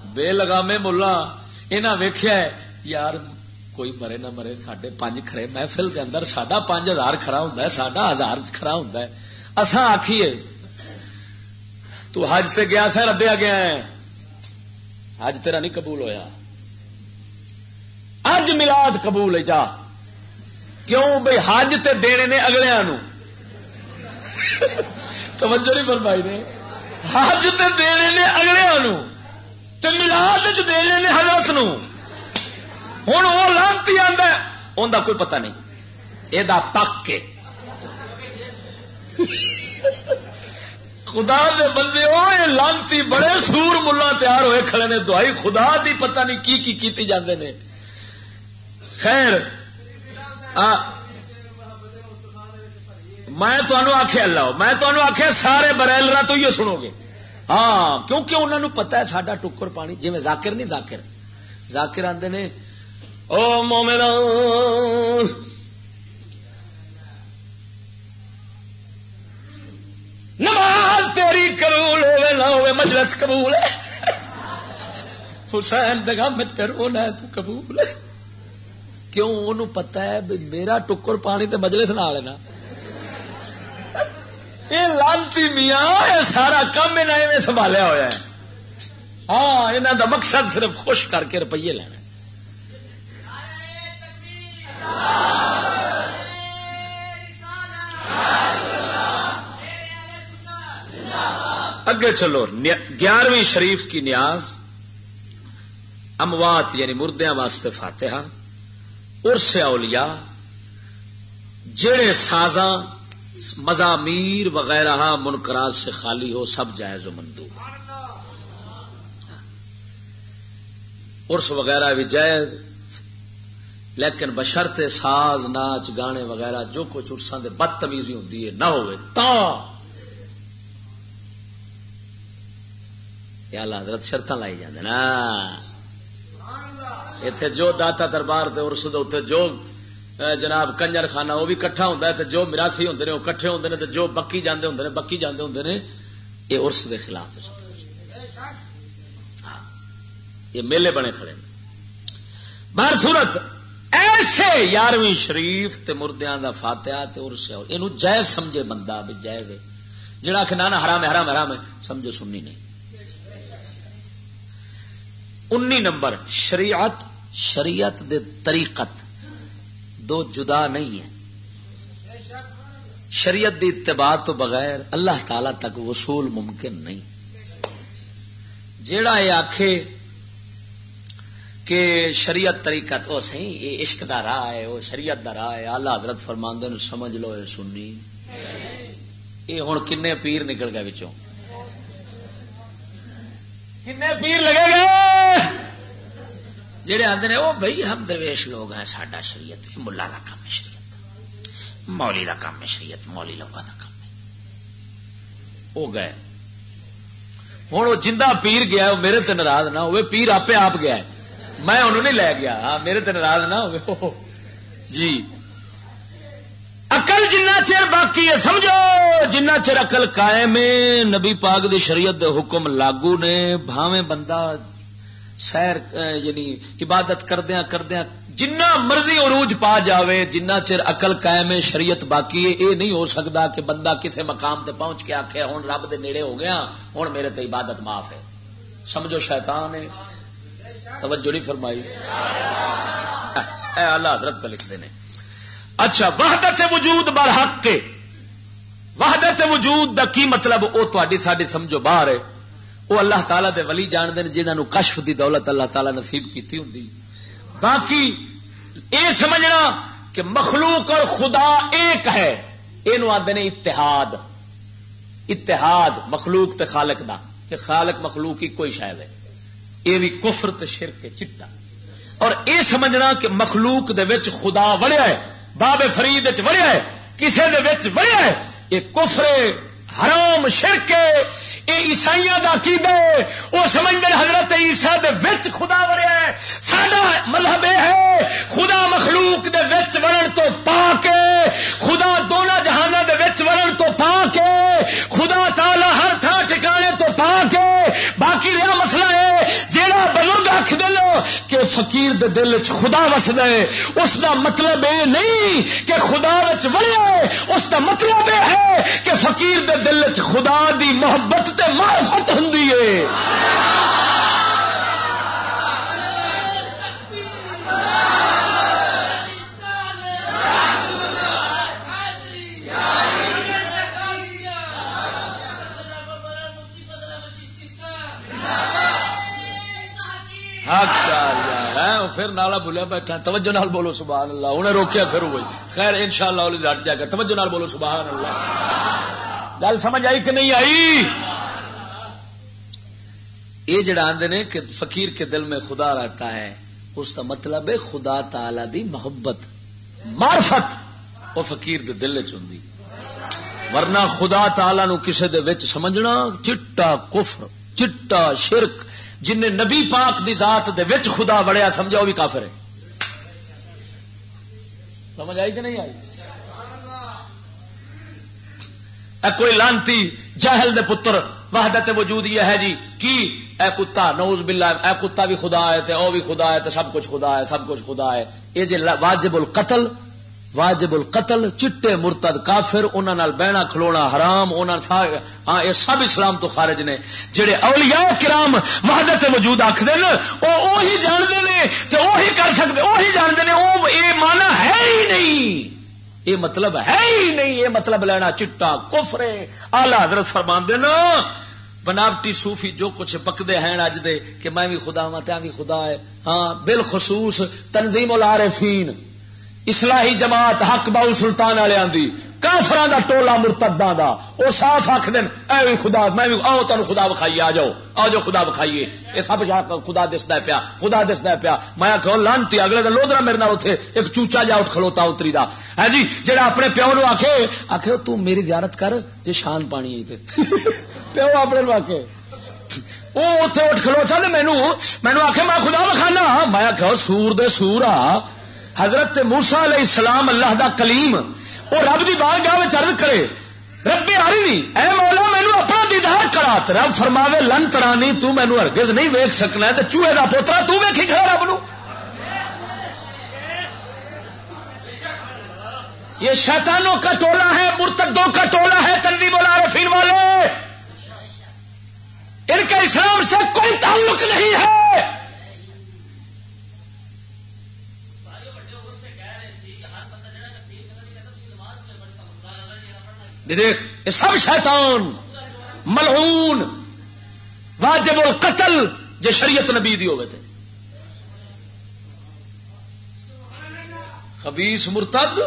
بے لگامے ملا، انہاں ویکھیا ہے، یار، کوئی مرے نہ مرے، ساڈے پنج کھڑے محفل دے اندر، ساڈا پنج ہزار کھڑا ہوندا ہے، ساڈا ہزار کھڑا ہوندا ہے۔ اساں آکھیے، "تو حج تے گیا سا، ردیا گیا ہے، حج تیرا نہیں قبول ہویا، اج میلاد قبول ہے، جا۔" کیوں بھئی؟ حج تے دینے نے اگلیاں نو۔ توجہ نہیں فرمائی نے۔ حج تے دینے نے اگلیاں نو، تے میلاد وچ دینے نے حضرت نو۔ ہن او لعنتی آندا ہے، اوندا کوئی پتہ نہیں، اے دا پک کے۔ خدا دے بندے، او اے لعنتی بڑے سور ملا تیار ہوئے کھڑے نے، دعائی خدا دی پتہ نہیں کی کی کیتی جاندے نے۔ خیر، آ، میں تانوں آکھیا اللہ، میں تانوں آکھیا سارے برائلراں تو ہی سنو گے۔ ہاں، کیونکہ انہاں نوں پتہ ہے ساڈا ٹکر پانی، جویں ذاکر نہیں، ذاکر، ذاکر آندے نے، "او مومنو، نماز تیری قبول ہوئے نہ ہوئے، مجلس قبول ہے۔" حسین دے غم وچ پھر انہاں تو قبول ہے۔ کیوں؟ انہوں پتہ ہے بھی میرا ٹکر پانی تے مجلس نال ہے نا۔ میاں، یہ سارا کام انہاں ایویں سنبھالیا ہویا ہے۔ ہاں، انہاں دا مقصد صرف خوش کر کے روپیے لینا ہے۔ اگے چلو، نیا-، گیارہویں شریف کی نیاز، اموات یعنی مردیاں واسطے فاتحہ، عرس اولیاء، جڑے سازاں، مزامیر وغیرہ منکرات سے خالی ہو، سب جائز و مندوب۔ عرس وغیرہ بھی جائز، لیکن بشرط ساز، ناچ، گانے وغیرہ جو کچھ عرساں دے بدتمیزی ہوندی ہے، نہ ہوئے تاں۔ یا اللہ حضرت شرطاں لائی جاندے نا۔ ایتھے جو داتا دربار دے عرس دے اوتے جو، اے، جناب کنجر خانہ، وہ بھی اکٹھا ہوندا ہے، تے جو میراثی ہوندے نے، وہ اکٹھے ہوندے نے، تے جو بکی جاندے ہوندے نے، بکی جاندے ہوندے نے، یہ عرس دے خلاف ہے۔ ہاں، یہ میلے بنے کھڑے نے۔ بہر صورت، ایسے یارویں شریف تے مردیاں دا فاتحہ تے عرس ہے، اینو جائز سمجھے بندہ بھی جائز ہے۔ جڑا کہ نہ، نہ، حرام ہے، حرام ہے، حرام ہے، سمجھو سنی نہیں۔ انی نمبر، شریعت، شریعت دے طریقت دو جدا نہیں ہے۔ شریعت دی اتباع تو بغیر اللہ تعالی تک وصول ممکن نہیں۔ جیڑا یہ آکھے کہ شریعت طریقت، او صحیح، یہ عشق دا راہ ہے، او شریعت دا راہ ہے، اعلیٰ حضرت فرماندے نو سمجھ لو، اے سنی۔ یہ ہن کنے پیر نکل گئے وچوں؟ کنے پیر لگے گئے جڑے آندے نے، "او بھائی، ہم درویش لوگ ہیں، ساڈا شریعت، یہ ملا دا کام ہے، شریعت مولوی دا کام ہے، شریعت مولوی لوگاں دا کام ہے۔" وہ گئے۔ ہن وہ جندہ پیر گیا، وہ میرے تے ناراض نہ ہوئے، پیر آپے آپ گیا ہے، میں انہوں نہیں لے گیا۔ ہاں، میرے تے ناراض نہ ہوئے۔ جی، عقل جنہ چر باقی ہے، سمجھو، جنہ چر عقل قائم ہے، نبی پاک دی شریعت دے حکم لاگو نے، بھاویں بندہ سیر، اے، یعنی عبادت کردیاں کردیاں جنہ مرضی عروج پا جاوے، جنہ چر عقل قائم ہے، شریعت باقی ہے، یہ نہیں ہو سکتا کہ بندہ کسی مقام تے پہنچ کے آکھے، "ہن رب دے نیڑے ہو گیا، ہن میرے تے عبادت معاف ہے۔" سمجھو، شیطان ہے۔ توجہ نہیں فرمائی۔ اے اعلیٰ حضرت پہ لکھتے نے۔ اچھا، وحدت وجود برحق کے، وحدت وجود دا کی مطلب؟ او تہاڈی ساڈی سمجھو باہر ہے۔ او اللہ تعالیٰ دے ولی جاندے نے، جنہاں نوں کشف دی دولت اللہ تعالیٰ نصیب کیتی ہوندی۔ باقی اے سمجھنا کہ مخلوق اور خدا ایک ہے، اینو آندے نے اتحاد۔ اتحاد مخلوق تے خالق دا، کہ خالق مخلوق ہی کوئی شاید ہے، یہ بھی کفر تے شرک ہے چٹا۔ اور یہ سمجھنا کہ مخلوق دے وچ خدا وڑیا ہے، باب فرید وچ وڑیا ہے، کسے دے وچ وڑیا ہے، یہ کفر ہے، حرام شرک ہے۔ یہ عیسائیاں دا عقیدہ ہے، وہ سمجھدے نے حضرت عیسیٰ دے وچ خدا وڑیا ہے۔ ساڈا مذہب یہ ہے، خدا مخلوق دے وچ وڑن تو پاک ہے، خدا دونوں جہاناں دے وچ وڑن تو پاک ہے، خدا تعالی ہر تھاں ٹھکانے تو پاک ہے۔ باقی رہا مسئلہ ہے، جیڑا بزرگ آکھ دے لو کہ فقیر دے دل وچ خدا وسدا ہے، اس دا مطلب یہ نہیں کہ خدا وچ وڑیا ہے، اس دا مطلب یہ ہے کہ فقیر دے دل وچ خدا دی محبت تے معرفت ہوندی ہے۔ حق چال یار، ہیں؟ پھر نالا بھولیا بیٹھا۔ توجہ نال بولو سبحان اللہ۔ انہیں روکیا پھر ہوئی۔ خیر، انشاءاللہ اولی ہٹ جائے گا۔ توجہ نال بولو سبحان اللہ۔ گل سمجھ آئی کہ نہیں آئی؟ یہ جڑا آندے نے کہ فقیر کے دل میں خدا رہتا ہے، اس کا مطلب ہے خدا تعالی دی محبت، معرفت، وہ فقیر دے دل وچ ہوندی۔ ورنہ خدا تعالی نو کسے دے وچ سمجھنا چٹا کفر، چٹا شرک۔ جن نے نبی پاک دی ذات دے وچ خدا وڑیا سمجھا، وہ بھی کافر ہے۔ سمجھ آئی کہ نہیں آئی؟ اے کوئی لانتی جاہل دے پتر، وحدت وجود یہ ہے جی، کی؟ اے کتا، نعوذ باللہ، اے کتا بھی خدا ہے، تے او بھی خدا ہے، تے سب کچھ خدا ہے، سب کچھ خدا ہے۔ یہ جے لا-، واجب القتل، واجب القتل، چٹے مرتد کافر، انہاں نال بہنا کھلونا حرام، انہاں سا-، ہاں، یہ سب اسلام تو خارج نے۔ جڑے اولیاء کرام وحدت وجود آکھدے نا، او اوہی جاندے نے تے اوہی کر سکدے، اوہی جاندے نے، او اے معنی ہے ہی نہیں، اے مطلب ہے ہی نہیں، اے مطلب لینا چٹا کفر ہے۔ اعلی حضرت فرماندے نا، بناوٹی صوفی جو کچھ بکدے ہیں اج دے کہ میں بھی خدا ہاں تے آ بھی خدا ہے، ہاں، بالخصوص تنظیم العارفین، اصلاحی جماعت حق باؤ سلطان والے آندی، کافراں دا ٹولا مرتداں دا، او صاف آکھ دین، "اے وی خدا، میں وی، آؤ تانوں خدا وکھائیے، آ جاؤ، آ جاؤ خدا وکھائیے۔" اے سب شاہ خدا دسدا ہے پیا، خدا دسدا ہے پیا۔ میں آکھیا، "او لعنتی، اگلے دن لوزرا میرے نال اوتھے ایک چوچا جا اٹھ کھلوتا اتری دا ہے جی، جڑا اپنے پیو نو آکھے، آکھے، 'تو میری زیارت کر، جے شان پانی ہے تے۔'" پیو اپنے نو آکھے، وہ اتنے اٹھ کھلوتا تے مینو، مینو آخیا، "میں خدا وکھانا۔" میں آخیا، "سور دے سور آ، حضرت موسیٰ علیہ السلام، اللہ دا کلیم، وہ رب دی بارگاہ وچ عرض کرے، 'رب ارنی، اے مولا، مینو اپنا دیدار کرا.' تے رب فرماوے، 'لن ترانی، تو مینو ہرگز نہیں ویکھ سکنا.' تے چوہے دا پوترا، تو ویکھی کھڑا رب نو۔ یہ شیطانوں کا ٹولہ ہے، مرتدوں کا ٹولہ ہے، تنظیم العارفین والے۔ ان کا اسلام سے کوئی تعلق نہیں ہے۔ یہ دیکھ، یہ سب شیطان، ملعون، واجب القتل، جے شریعت نبی دی ہوے تے۔ خبیث مرتد،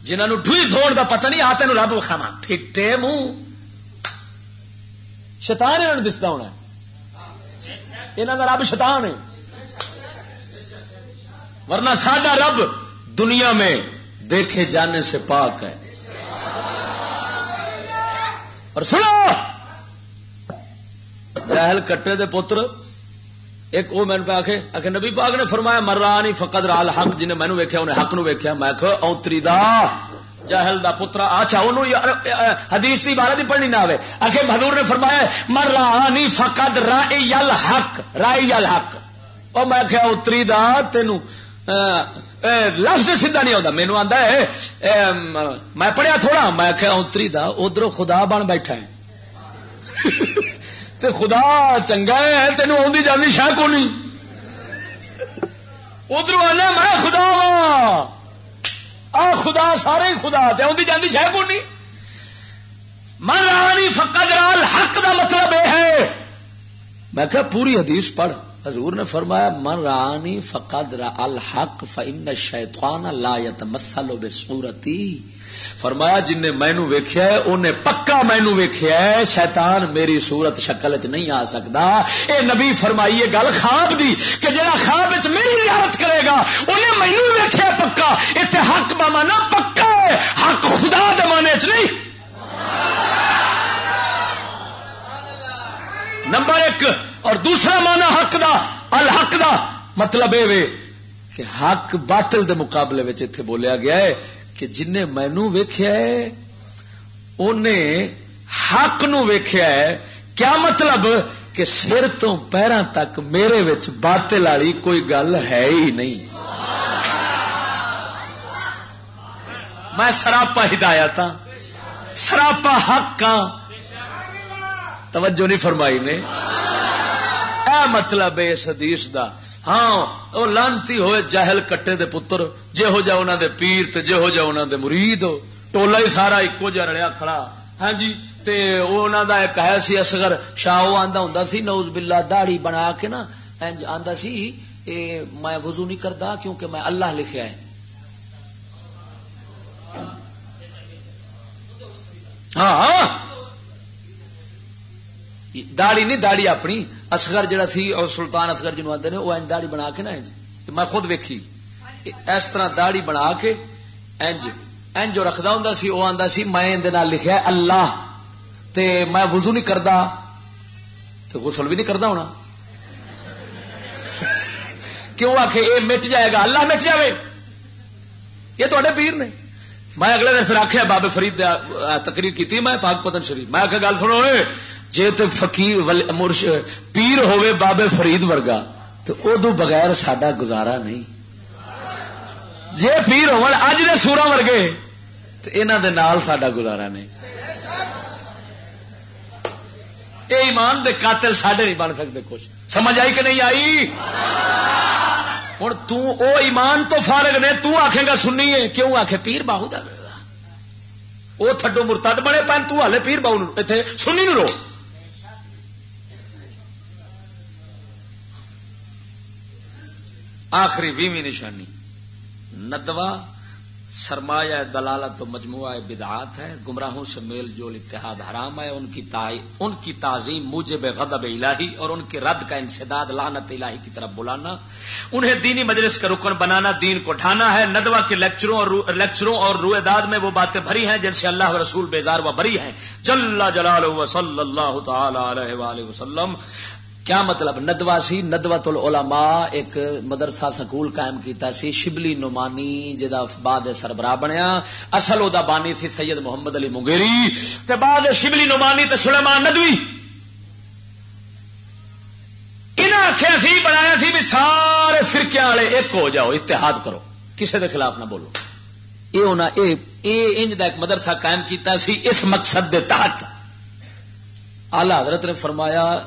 جنہاں نوں ڈھوئی دھوݨ دا پتہ نہیں، آ تینوں رب وکھاواں، پھٹے منہ۔ شیطان انہاں نوں دسدا ہونا ہے۔ انہاں دا رب شیطان ہے۔ ورنہ ساڈا رب دنیا میں دیکھے جانے سے پاک ہے۔ اور سنو، جاہل کٹے دے پتر، ایک او مینوں پہ آکھے، آکھے، "نبی پاک نے فرمایا، 'من رآنی فقد رآ الحق'، جن نے مینوں ویکھیا، انہیں حق نوں ویکھیا۔" میں آکھیا، "اونتری دا جاہل دا پترا، اچھا، اونوں یا-، اے، اے، حدیث دی عبارت ہی پڑھنی نہ آوے۔" آکھے، حضور نے فرمایا، "من رآنی فقد رأی الحق، رأی الحق۔" او میں آکھیا، "اونتری دا، تینوں، اے، اے، لفظ سیدھا نہیں آوندا۔" مینوں آندا ہے، اے، م-، میں پڑھیا تھوڑا، میں آکھیا، "اونتری دا، ادھروں خدا بن بیٹھا ہے۔" تے خدا چنگا ہے، تینوں آندی جاندی شے کونی۔ ادھروں آنا، "میں خدا واں۔" آ خدا، سارے ہی خدا، تے آندی جاندی شے کونی۔ "من رآنی فقد رآ الحق" دا مطلب اے ہے۔ میں کہا، "پوری حدیث پڑھ۔" حضور نے فرمایا، "من رآنی فقد رآ الحق فإن الشیطان لا یتمثل بصورتی۔" فرمایا، "جن نے مینوں ویکھیا ہے، اونے پکا مینوں ویکھیا ہے، شیطان میری صورت شکل وچ نہیں آ سکدا۔" اے نبی فرمائی اے گل خواب دی کہ جڑا خواب وچ میری زیارت کرے گا، اونے مینوں ویکھیا پکا۔ ایتھے حق دا معنی پکا ہے، حق خدا دے معنی وچ نہیں۔ نمبر ایک۔ اور دوسرا معنی حق دا، الحق دا مطلب اے وے کہ حق باطل دے مقابلے وچ ایتھے بولیا گیا ہے کہ جن نے مینوں ویکھیا ہے، اونے حق نو ویکھیا ہے۔ کیا مطلب؟ کہ سر تو پیراں تک میرے وچ باطل والی کوئی گل ہے ہی نہیں۔ میں سراپا ہدایت ہاں، سراپا حق ہاں۔ توجہ نہیں فرمائی نے۔ اے مطلب ہے اس حدیث دا۔ ہاں، او لعنتی ہوئے جاہل کٹے دے پتر، جے ہو جا انہاں دے پیر تے جے ہو جا انہاں دے مرید، ٹولا ہی سارا اکو جا رلیا کھڑا۔ ہاں جی، تے او انہاں دا ایک ہے سی اصغر شاہ، او آندا ہوندا سی، نعوذ باللہ، داڑھی بنا کے نا، انج آندا سی، "اے میں وضو نہیں کردا کیونکہ میں اللہ لکھیا ہے۔" ہاں، ہاں۔ داڑھی نہیں، داڑھی اپنی۔ اصغر جڑا سی، اور سلطان اصغر جنوں آندے نے، او انج داڑھی بنا کے نا، انج، میں خود ویکھی، اس طرح داڑھی بنا کے انج، انج جو رکھدا ہوندا سی، او آندا سی، "میں ایندے نال لکھیا ہے اللہ، تے میں وضو نہیں کردا، تے غسل بھی نہیں کردا ہونا۔" کیوں آکھے، "اے مٹ جائے گا، اللہ مٹ جاوے۔" یہ تواڈے پیر نے۔ میں اگلے دن پھر آکھیا، بابے فرید دے، آ، تقریر کیتی میں پاک پتن شریف۔ میں آکھیا، "گل سنو اے، جے تے فقیر ول-، مرش-، پیر ہووے بابے فرید ورگا، تے اودوں بغیر ساڈا گزارا نہیں۔" جے پیر ہون اج دے سوراں ورگے، تے انہاں دے نال ساڈا گزارا نہیں۔ اے ایمان دے قاتل ساڈے نہیں بن سکدے کچھ۔ سمجھ آئی کہ نہیں آئی؟ ہن توں او ایمان تو فارغ نے، توں آکھیں گا سنی ہے، کیوں آکھے پیر باہو دا؟ او تھڈو مرتد بنے پن، توں ہالے پیر باہو نوں، ایتھے سنی نوں رو۔ آخری ویہویں نشانی، ندوہ سرمایہ دلالت و مجموعہ بدعات ہے، گمراہوں سے میل جول اتحاد حرام ہے، ان کی تع-، ان کی تعظیم موجب غضب الہی اور ان کے رد کا انسداد لعنت الہی کی طرف بلانا، انہیں دینی مجلس کا رکن بنانا دین کو ڈھانا ہے۔ ندوہ کے لیکچروں اور رو-، لیکچروں اور روئے داد میں وہ باتیں بھری ہیں جن سے اللہ و رسول بیزار و بری ہیں، جل جلالہ و صلی اللہ تعالی علیہ وآلہ وسلم۔ کیا مطلب؟ ندوہ سی، ندوۃ العلماء، ایک مدرسہ سکول قائم کیتا سی شبلی نعمانی، جدا بعد سربراہ بنیا۔ اصل او دا بانی سی سید محمد علی مغیری، تے بعد شبلی نعمانی تے سلیمان ندوی۔ انہاں آکھیا سی، بنایا سی بھی سارے فرقیاں والے ایک ہو جاؤ، اتحاد کرو، کسے دے خلاف نہ بولو۔ اے انہاں، اے، اے انج دا ایک مدرسہ قائم کیتا سی اس مقصد دے تحت۔ اعلی حضرت نے فرمایا،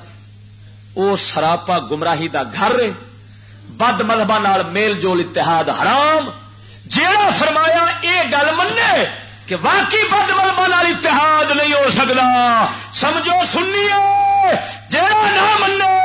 او سراپا گمراہی دا گھر ہے، بد مذہباں نال میل جول اتحاد حرام۔ جیڑا فرمایا اے گل منے کہ واقعی بد مذہباں نال اتحاد نہیں ہو سکدا، سمجھو سنی ہے، جیڑا نہ منے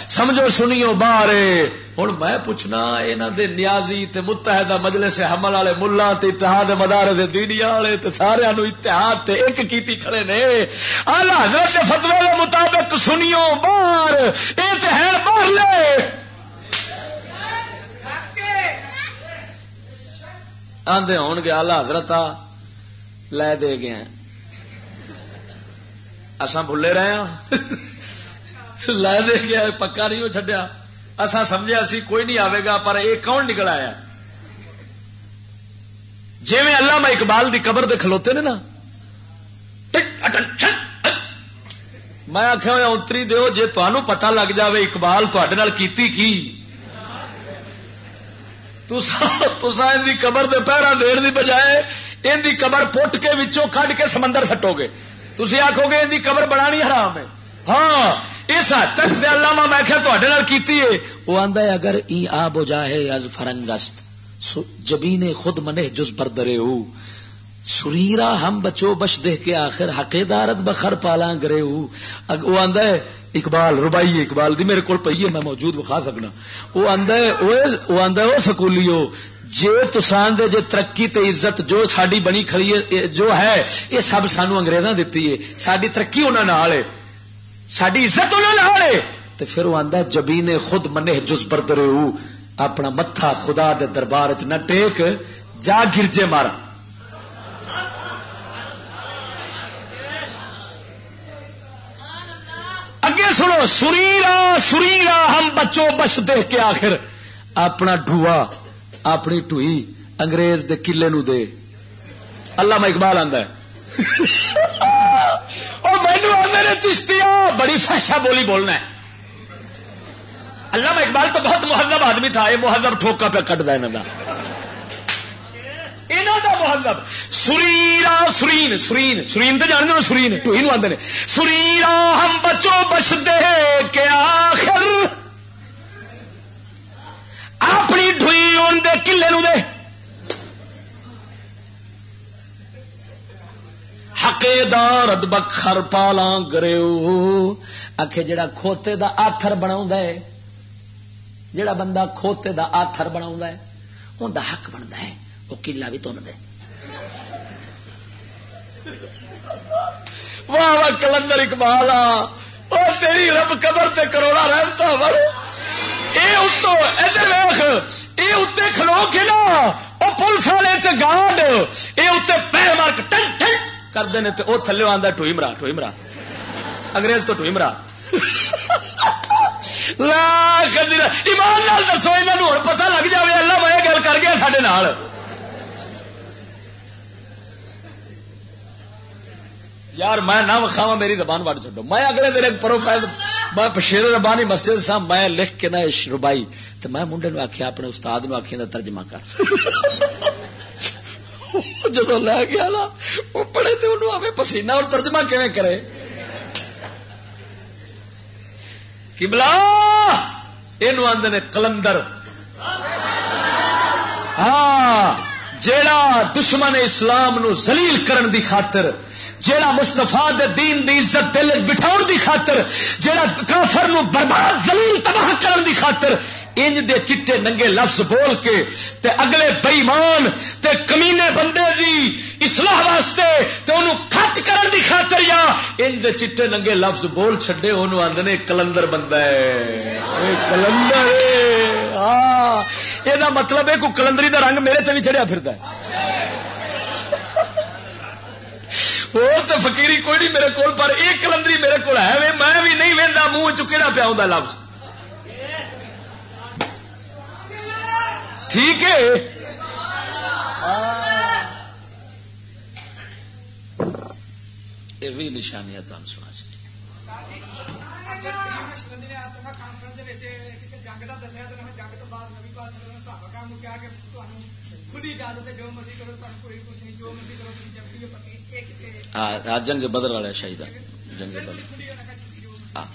سمجھو سنیو باہر ہے۔ ہن میں پوچھنا، انہاں دے نیازی تے متحدہ مجلس حمل والے ملا تے اتحاد مدارس دینیا والے تے سارے نو اتحاد تے ایک کیتی کھڑے نے۔ اعلی حضرت دے فتوی دے مطابق سنیو باہر، اے تے ہے باہر لے۔ آندے ہون گے، اعلی حضرت آ لے دے گئے ہیں۔ اساں بھلے رہے ہاں۔ لے دے گیا، پکا نہیں ہو چھڈیا۔ اساں سمجھیا سی کوئی نہیں آوے گا، پر یہ کون نکل آیا؟ جویں علامہ اقبال دی قبر دے کھلوتے نے نا، ٹک اٹن ٹھن۔ میں آکھیا ہویا اتری دیو، جے تانوں پتہ لگ جاوے اقبال تہاڈے نال کیتی کی، تساں، تساں ان دی قبر دے پہرا دین دی بجائے ان دی قبر پٹ کے وچوں کڈ کے سمندر سٹو گے۔ تسی آکھو گے ان دی قبر بنانی حرام ہے۔ ہاں، اس حد تک تے علامہ میں کہیا تہاڈے نال کیتی ہے۔ وہ آندا ہے، اگر ای آ بجا ہے از فرنگ است، سو-، جبین خود منہ جز بردرے ہو۔ سریرا ہم بچو بش دہ کے آخر حقے دارت بخر پالاں گرے ہو۔ اگ-، وہ آندا ہے، اقبال، رباعی اقبال دی میرے کول پئی ہے، میں موجود وکھا سکنا۔ وہ آندا ہے، اوے، وہ آندا ہے، او سکولیو، جے تساں دے جے ترقی تے عزت جو ساڈی بنی کھڑی ہے، اے جو ہے، یہ سب سانو انگریزاں دتی ہے۔ ساڈی ترقی انہاں نال ہے، ساڈی عزت انہاں نال ہے۔ تے پھر وہ آندا ہے، جبین خود منہ جز بردرے ہو، اپنا متھا خدا دے دربار وچ نہ ٹیک، جا گرجے مارا۔ اگے سنو، سریرا، سریرا ہم بچو بش دہ کے آخر اپنا ڈھوا، اپنی ڈھوئی انگریز دے قلعے نو دے۔ علامہ اقبال آندا ہے۔ او مینوں آندے نے، چشتیا، بڑی فحشہ بولی بولنا ہے۔ علامہ اقبال تو بہت مہذب آدمی تھا، یہ مہذب ٹھوکا پہ کٹ دا انہاں دا۔ انہاں دا مہذب۔ سریرا، سرین، سرین، سرین تے جانتے ہو، سرین، ٹوئی نو آندے نے۔ سریرا ہم بچو بچ دے کے آخر اپنی ڈھوئی ان دے قلعے نو دے۔ حقے دار ادبک خر پالاں گریو۔ آکھے جڑا کھوتے دا آتھر بناوندا ہے، جڑا بندہ کھوتے دا آتھر بناوندا ہے، اون دا حق بندا ہے، او قلعہ بھی تن دے۔ واہ واہ، قلندر اقبال آ، او تیری رب قبر تے کروڑا رحمتاں ور۔ اے اتو، ادھر ویکھ، اے اتے کھلو کے نا، او پولیس والے تے گارڈ، اے اتے پیر مار کے ٹن ٹن کردے نے تے او تھلے آندا، "ٹوئی مرا، ٹوئی مرا۔" انگریز تو ٹوئی مرا۔ لا کدی نہ۔ ایمان نال دسو، انہاں نوں ہن پتہ لگ جاوے، اللہ میں یہ گل کر گیا ساڈے نال۔ یار، میں نہ وکھاواں، میری زبان وڈ چھڈو۔ میں اگلے دن ایک پروفائل، میں پشیر ربانی مسجد سا، میں لکھ کے نہ اش ربائی، تے میں منڈے نو آکھیا، اپنے استاد نو آکھیا دا ترجمہ کر۔ جدوں لے گیا نا، وہ پڑھے تے انہوں آوے پسینہ، اور ترجمہ کیویں کرے؟ قبلہ، اینو آندے نے قلندر۔ ہاں، جیڑا دشمن اسلام نو ذلیل کرن دی خاطر، جیڑا مصطفیٰ دے دین دی عزت دل وچ بٹھاؤن دی خاطر، جیڑا کافر نو برباد، ذلیل، تباہ کرن دی خاطر انج دے چٹے ننگے لفظ بول کے تے اگلے بے ایمان تے کمینے بندے دی اصلاح واسطے تے اونوں کھچ کرن دی خاطر یا انج دے چٹے ننگے لفظ بول چھڈے، اونوں آندے نے قلندر بندہ ہے۔ اے قلندر ہے۔ ہاں، اے دا مطلب ہے کوئی قلندری دا رنگ میرے تے بھی چڑھیا پھردا ہے۔ اور تے فقیری کوئی نہیں میرے کول، پر اے قلندری میرے کول ہے وے، میں بھی نہیں ویندا منہ چوں کیڑا پیا ہوندا لفظ۔ ٹھیک ہے۔ یہ بھی نشانیاں تم سنا سکے۔ ہاں، جنگ بدر والے شہید، جنگ بدر۔ ہاں۔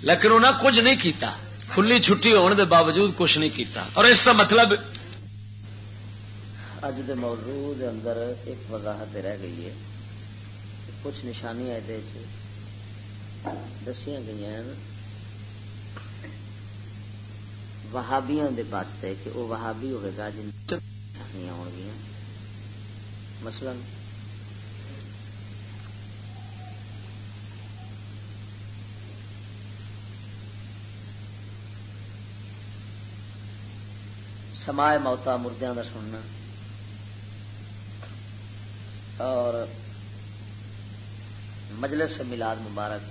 لیکن انہاں کچھ نہیں کیتا، کھلی چھٹی ہون دے باوجود کچھ نہیں کیتا۔ اور اس کا مطلب، اج دے موضوع دے اندر ایک وضاحت رہ گئی ہے کہ کچھ نشانیاں ایدے چ دسیاں گئیاں ہیں وہابیاں دے واسطے، کہ وہ وہابی ہوئے گا جن نشانیاں ہون گیاں۔ مثلاً، سماع موتا، مردیاں دا سننا، اور مجلس میلاد مبارک،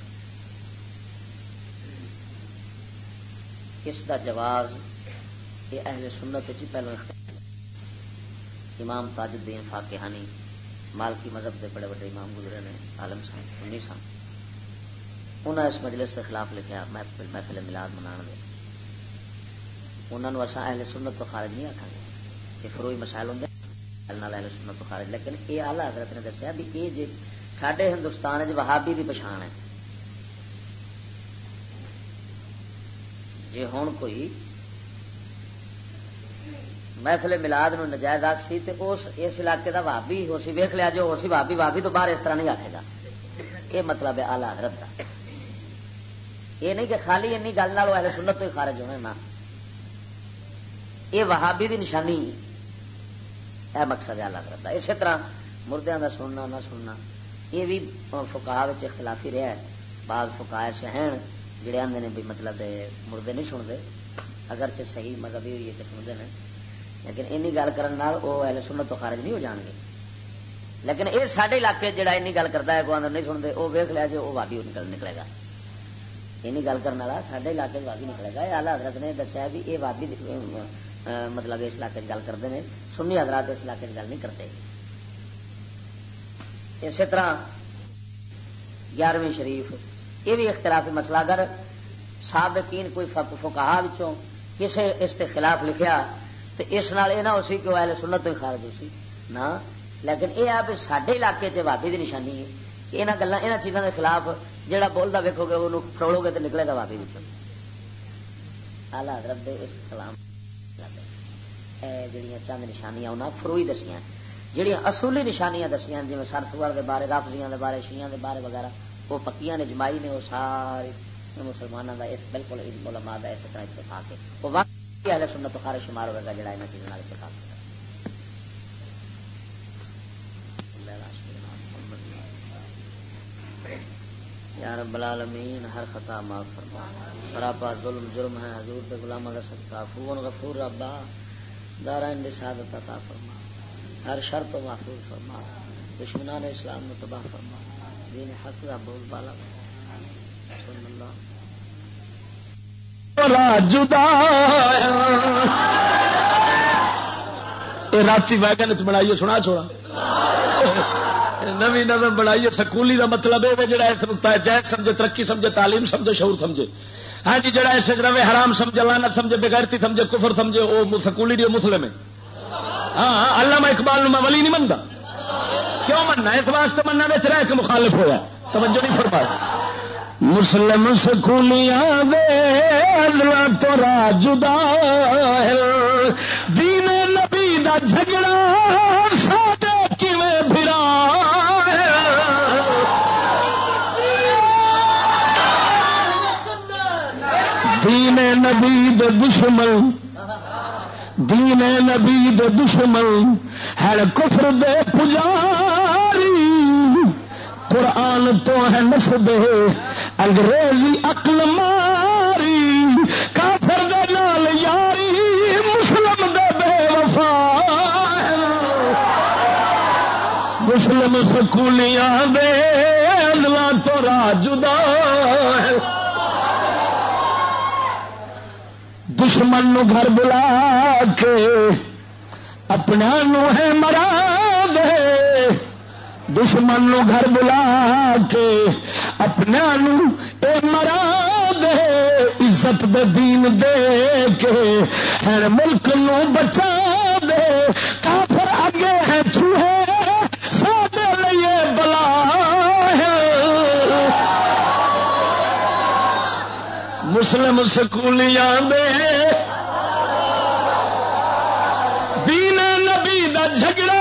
اس دا جواز، یہ اہل سنت وچ ہی پہلوں اختیار۔ امام تاج الدین فاقحانی، مالکی مذہب دے بڑے بڑے امام گزرے نے، عالم سن، سنی سن۔ انہاں اس مجلس کے خلاف لکھیا، محفل، محفل میلاد منان دے۔ انہاں نوں اساں اہل سنت تو خارج نہیں آکھاں گے، یہ فروعی مسائل ہوندے، نال اہل سنت تو خارج۔ لیکن یہ اعلیٰ حضرت نے دسیا بھی یہ جے ساڈے ہندوستان وچ وہابی دی پچھان ہے۔ جے ہن کوئی محفل میلاد نو نجائز آکھ سی تے اس، اس علاقے دا وہابی ہو سی، ویکھ لیا جو ہو سی وہابی، وہابی تو باہر اس طرح نہیں آکھے گا۔ یہ مطلب ہے اعلیٰ حضرت دا۔ یہ نہیں کہ خالی انی گل نال وہ اہل سنت تو ہی خارج ہونے، نہ۔ یہ وہابی دی نشانی ہے، مقصد ہے اعلیٰ حضرت دا۔ اسی طرح مردیاں دا سننا نہ سننا، یہ بھی فقہا وچ اختلافی رہا ہے۔ بعض فقہا ایسے ہیں جڑے آندے نے بھی مطلب ہے مردے نہیں سنتے، اگرچہ صحیح مذہبی ہوئی ہے کہ سنتے ہیں، لیکن اینی گل کرن نال وہ اہل سنت تو خارج نہیں ہو جان گے۔ لیکن یہ سارے علاقے جڑا اینی گل کرتا ہے، کوئی آندر نہیں سنتے، وہ ویکھ لیا جو وہ وادی نکل نکلے گا۔ اینی گل کرن والا سارے علاقے چ وادی نکلے گا۔ یہ اعلیٰ حضرت نے دسیا بھی یہ وادی، ام، ام، مطلب اس علاقے چ گل کرتے ہیں، سنی حضرات اس علاقے چ گل نہیں کرتے۔ اسی طرح گیارہویں شریف، یہ بھی اختلافی مسئلہ۔ اگر سابقین کوئی فق-، فقہا وچوں کسے اس تے خلاف لکھیا تے اس نال یہ نہ ہو سی کہ وہ اہل سنت تو ہی خارج ہو سی، نہ۔ لیکن یہ آ بھی ساڈے علاقے چ بھابی دی نشانی ہے کہ انہاں گلاں، انہاں چیزاں دے خلاف جڑا بولدا ویکھو گے، اونوں فروڑو گے تے نکلے گا بھابی وچوں۔ اعلیٰ حضرت دے اس کلام، اے جڑیاں چند نشانیاں انہاں فروئی دسیاں، جڑیاں اصولی نشانیاں دسیاں، جویں سر سور دے بارے، رافضیاں دے بارے، شیعیاں دے بارے وغیرہ، وہ پکیاں نے، اجماعی نے، وہ سارے مسلماناں دا اس، بالکل علماء دا اس طرح اتفاق ہے۔ وہ واقعی اہل سنت تو خارج شمار ہوئے گا جڑا انہاں چیزاں نال اتفاق کرے۔ یا رب العالمین، ہر خطا معاف فرما۔ سراپا ظلم جرم ہے، حضور دے غلاماں دا صدقہ، عفو غفور ربا، دارائن دی سعادت عطا فرما، ہر شر تو محفوظ فرما، دشمنان اسلام نو تباہ فرما، دین حق دا بول بالا فرما۔ صلی اللہ۔ بھلا جدا۔ اے راتی ویگن چ بنائی ہے، سنا چھوڑا۔ نوی نظم بنائی ہے سکولی، دا مطلب اے وے جڑا اس نقطہ ہے جائز سمجھے، ترقی سمجھے، تعلیم سمجھے، شعور سمجھے۔ ہاں جی، جڑا اس وچ روے، حرام سمجھے، لعنت سمجھے، بے غیرتی سمجھے، کفر سمجھے، او م-، سکولی دی مسلم ہے۔ ہاں ہاں، علامہ اقبال نو میں ولی نہیں منتا۔ کیوں مننا؟ اس واسطے مننا وچ رہ کے مخالف ہویا۔ توجہ نہیں فرمائی۔ مسلم سکولیاں دے ازلاں تو راہ جدا ہے، دین نبی دا جھگڑا ساڈے کیویں بھرا ہے؟ دین نبی دے دشمن، دین نبی دے دشمن ہن کفر دے پجاری، قرآن تو ہے نسدے انگریزی عقل ماری، کافر دے نال یاری، مسلم دے بے وفا۔ مسلم سکولیاں دے ازلاں تو راہ جدا ہے۔ دشمن نو گھر بلا کے اپنا نو ہے مرا دے، دشمن نو گھر بلا کے اپنا نو اے مرا دے، عزت دے دین دے کے ہر ملک نو بچا دے، کافر اگے ہے چوہے، ساڈے لئی بلا ہے۔ مسلم سکولیاں دے دین نبی دا جھگڑا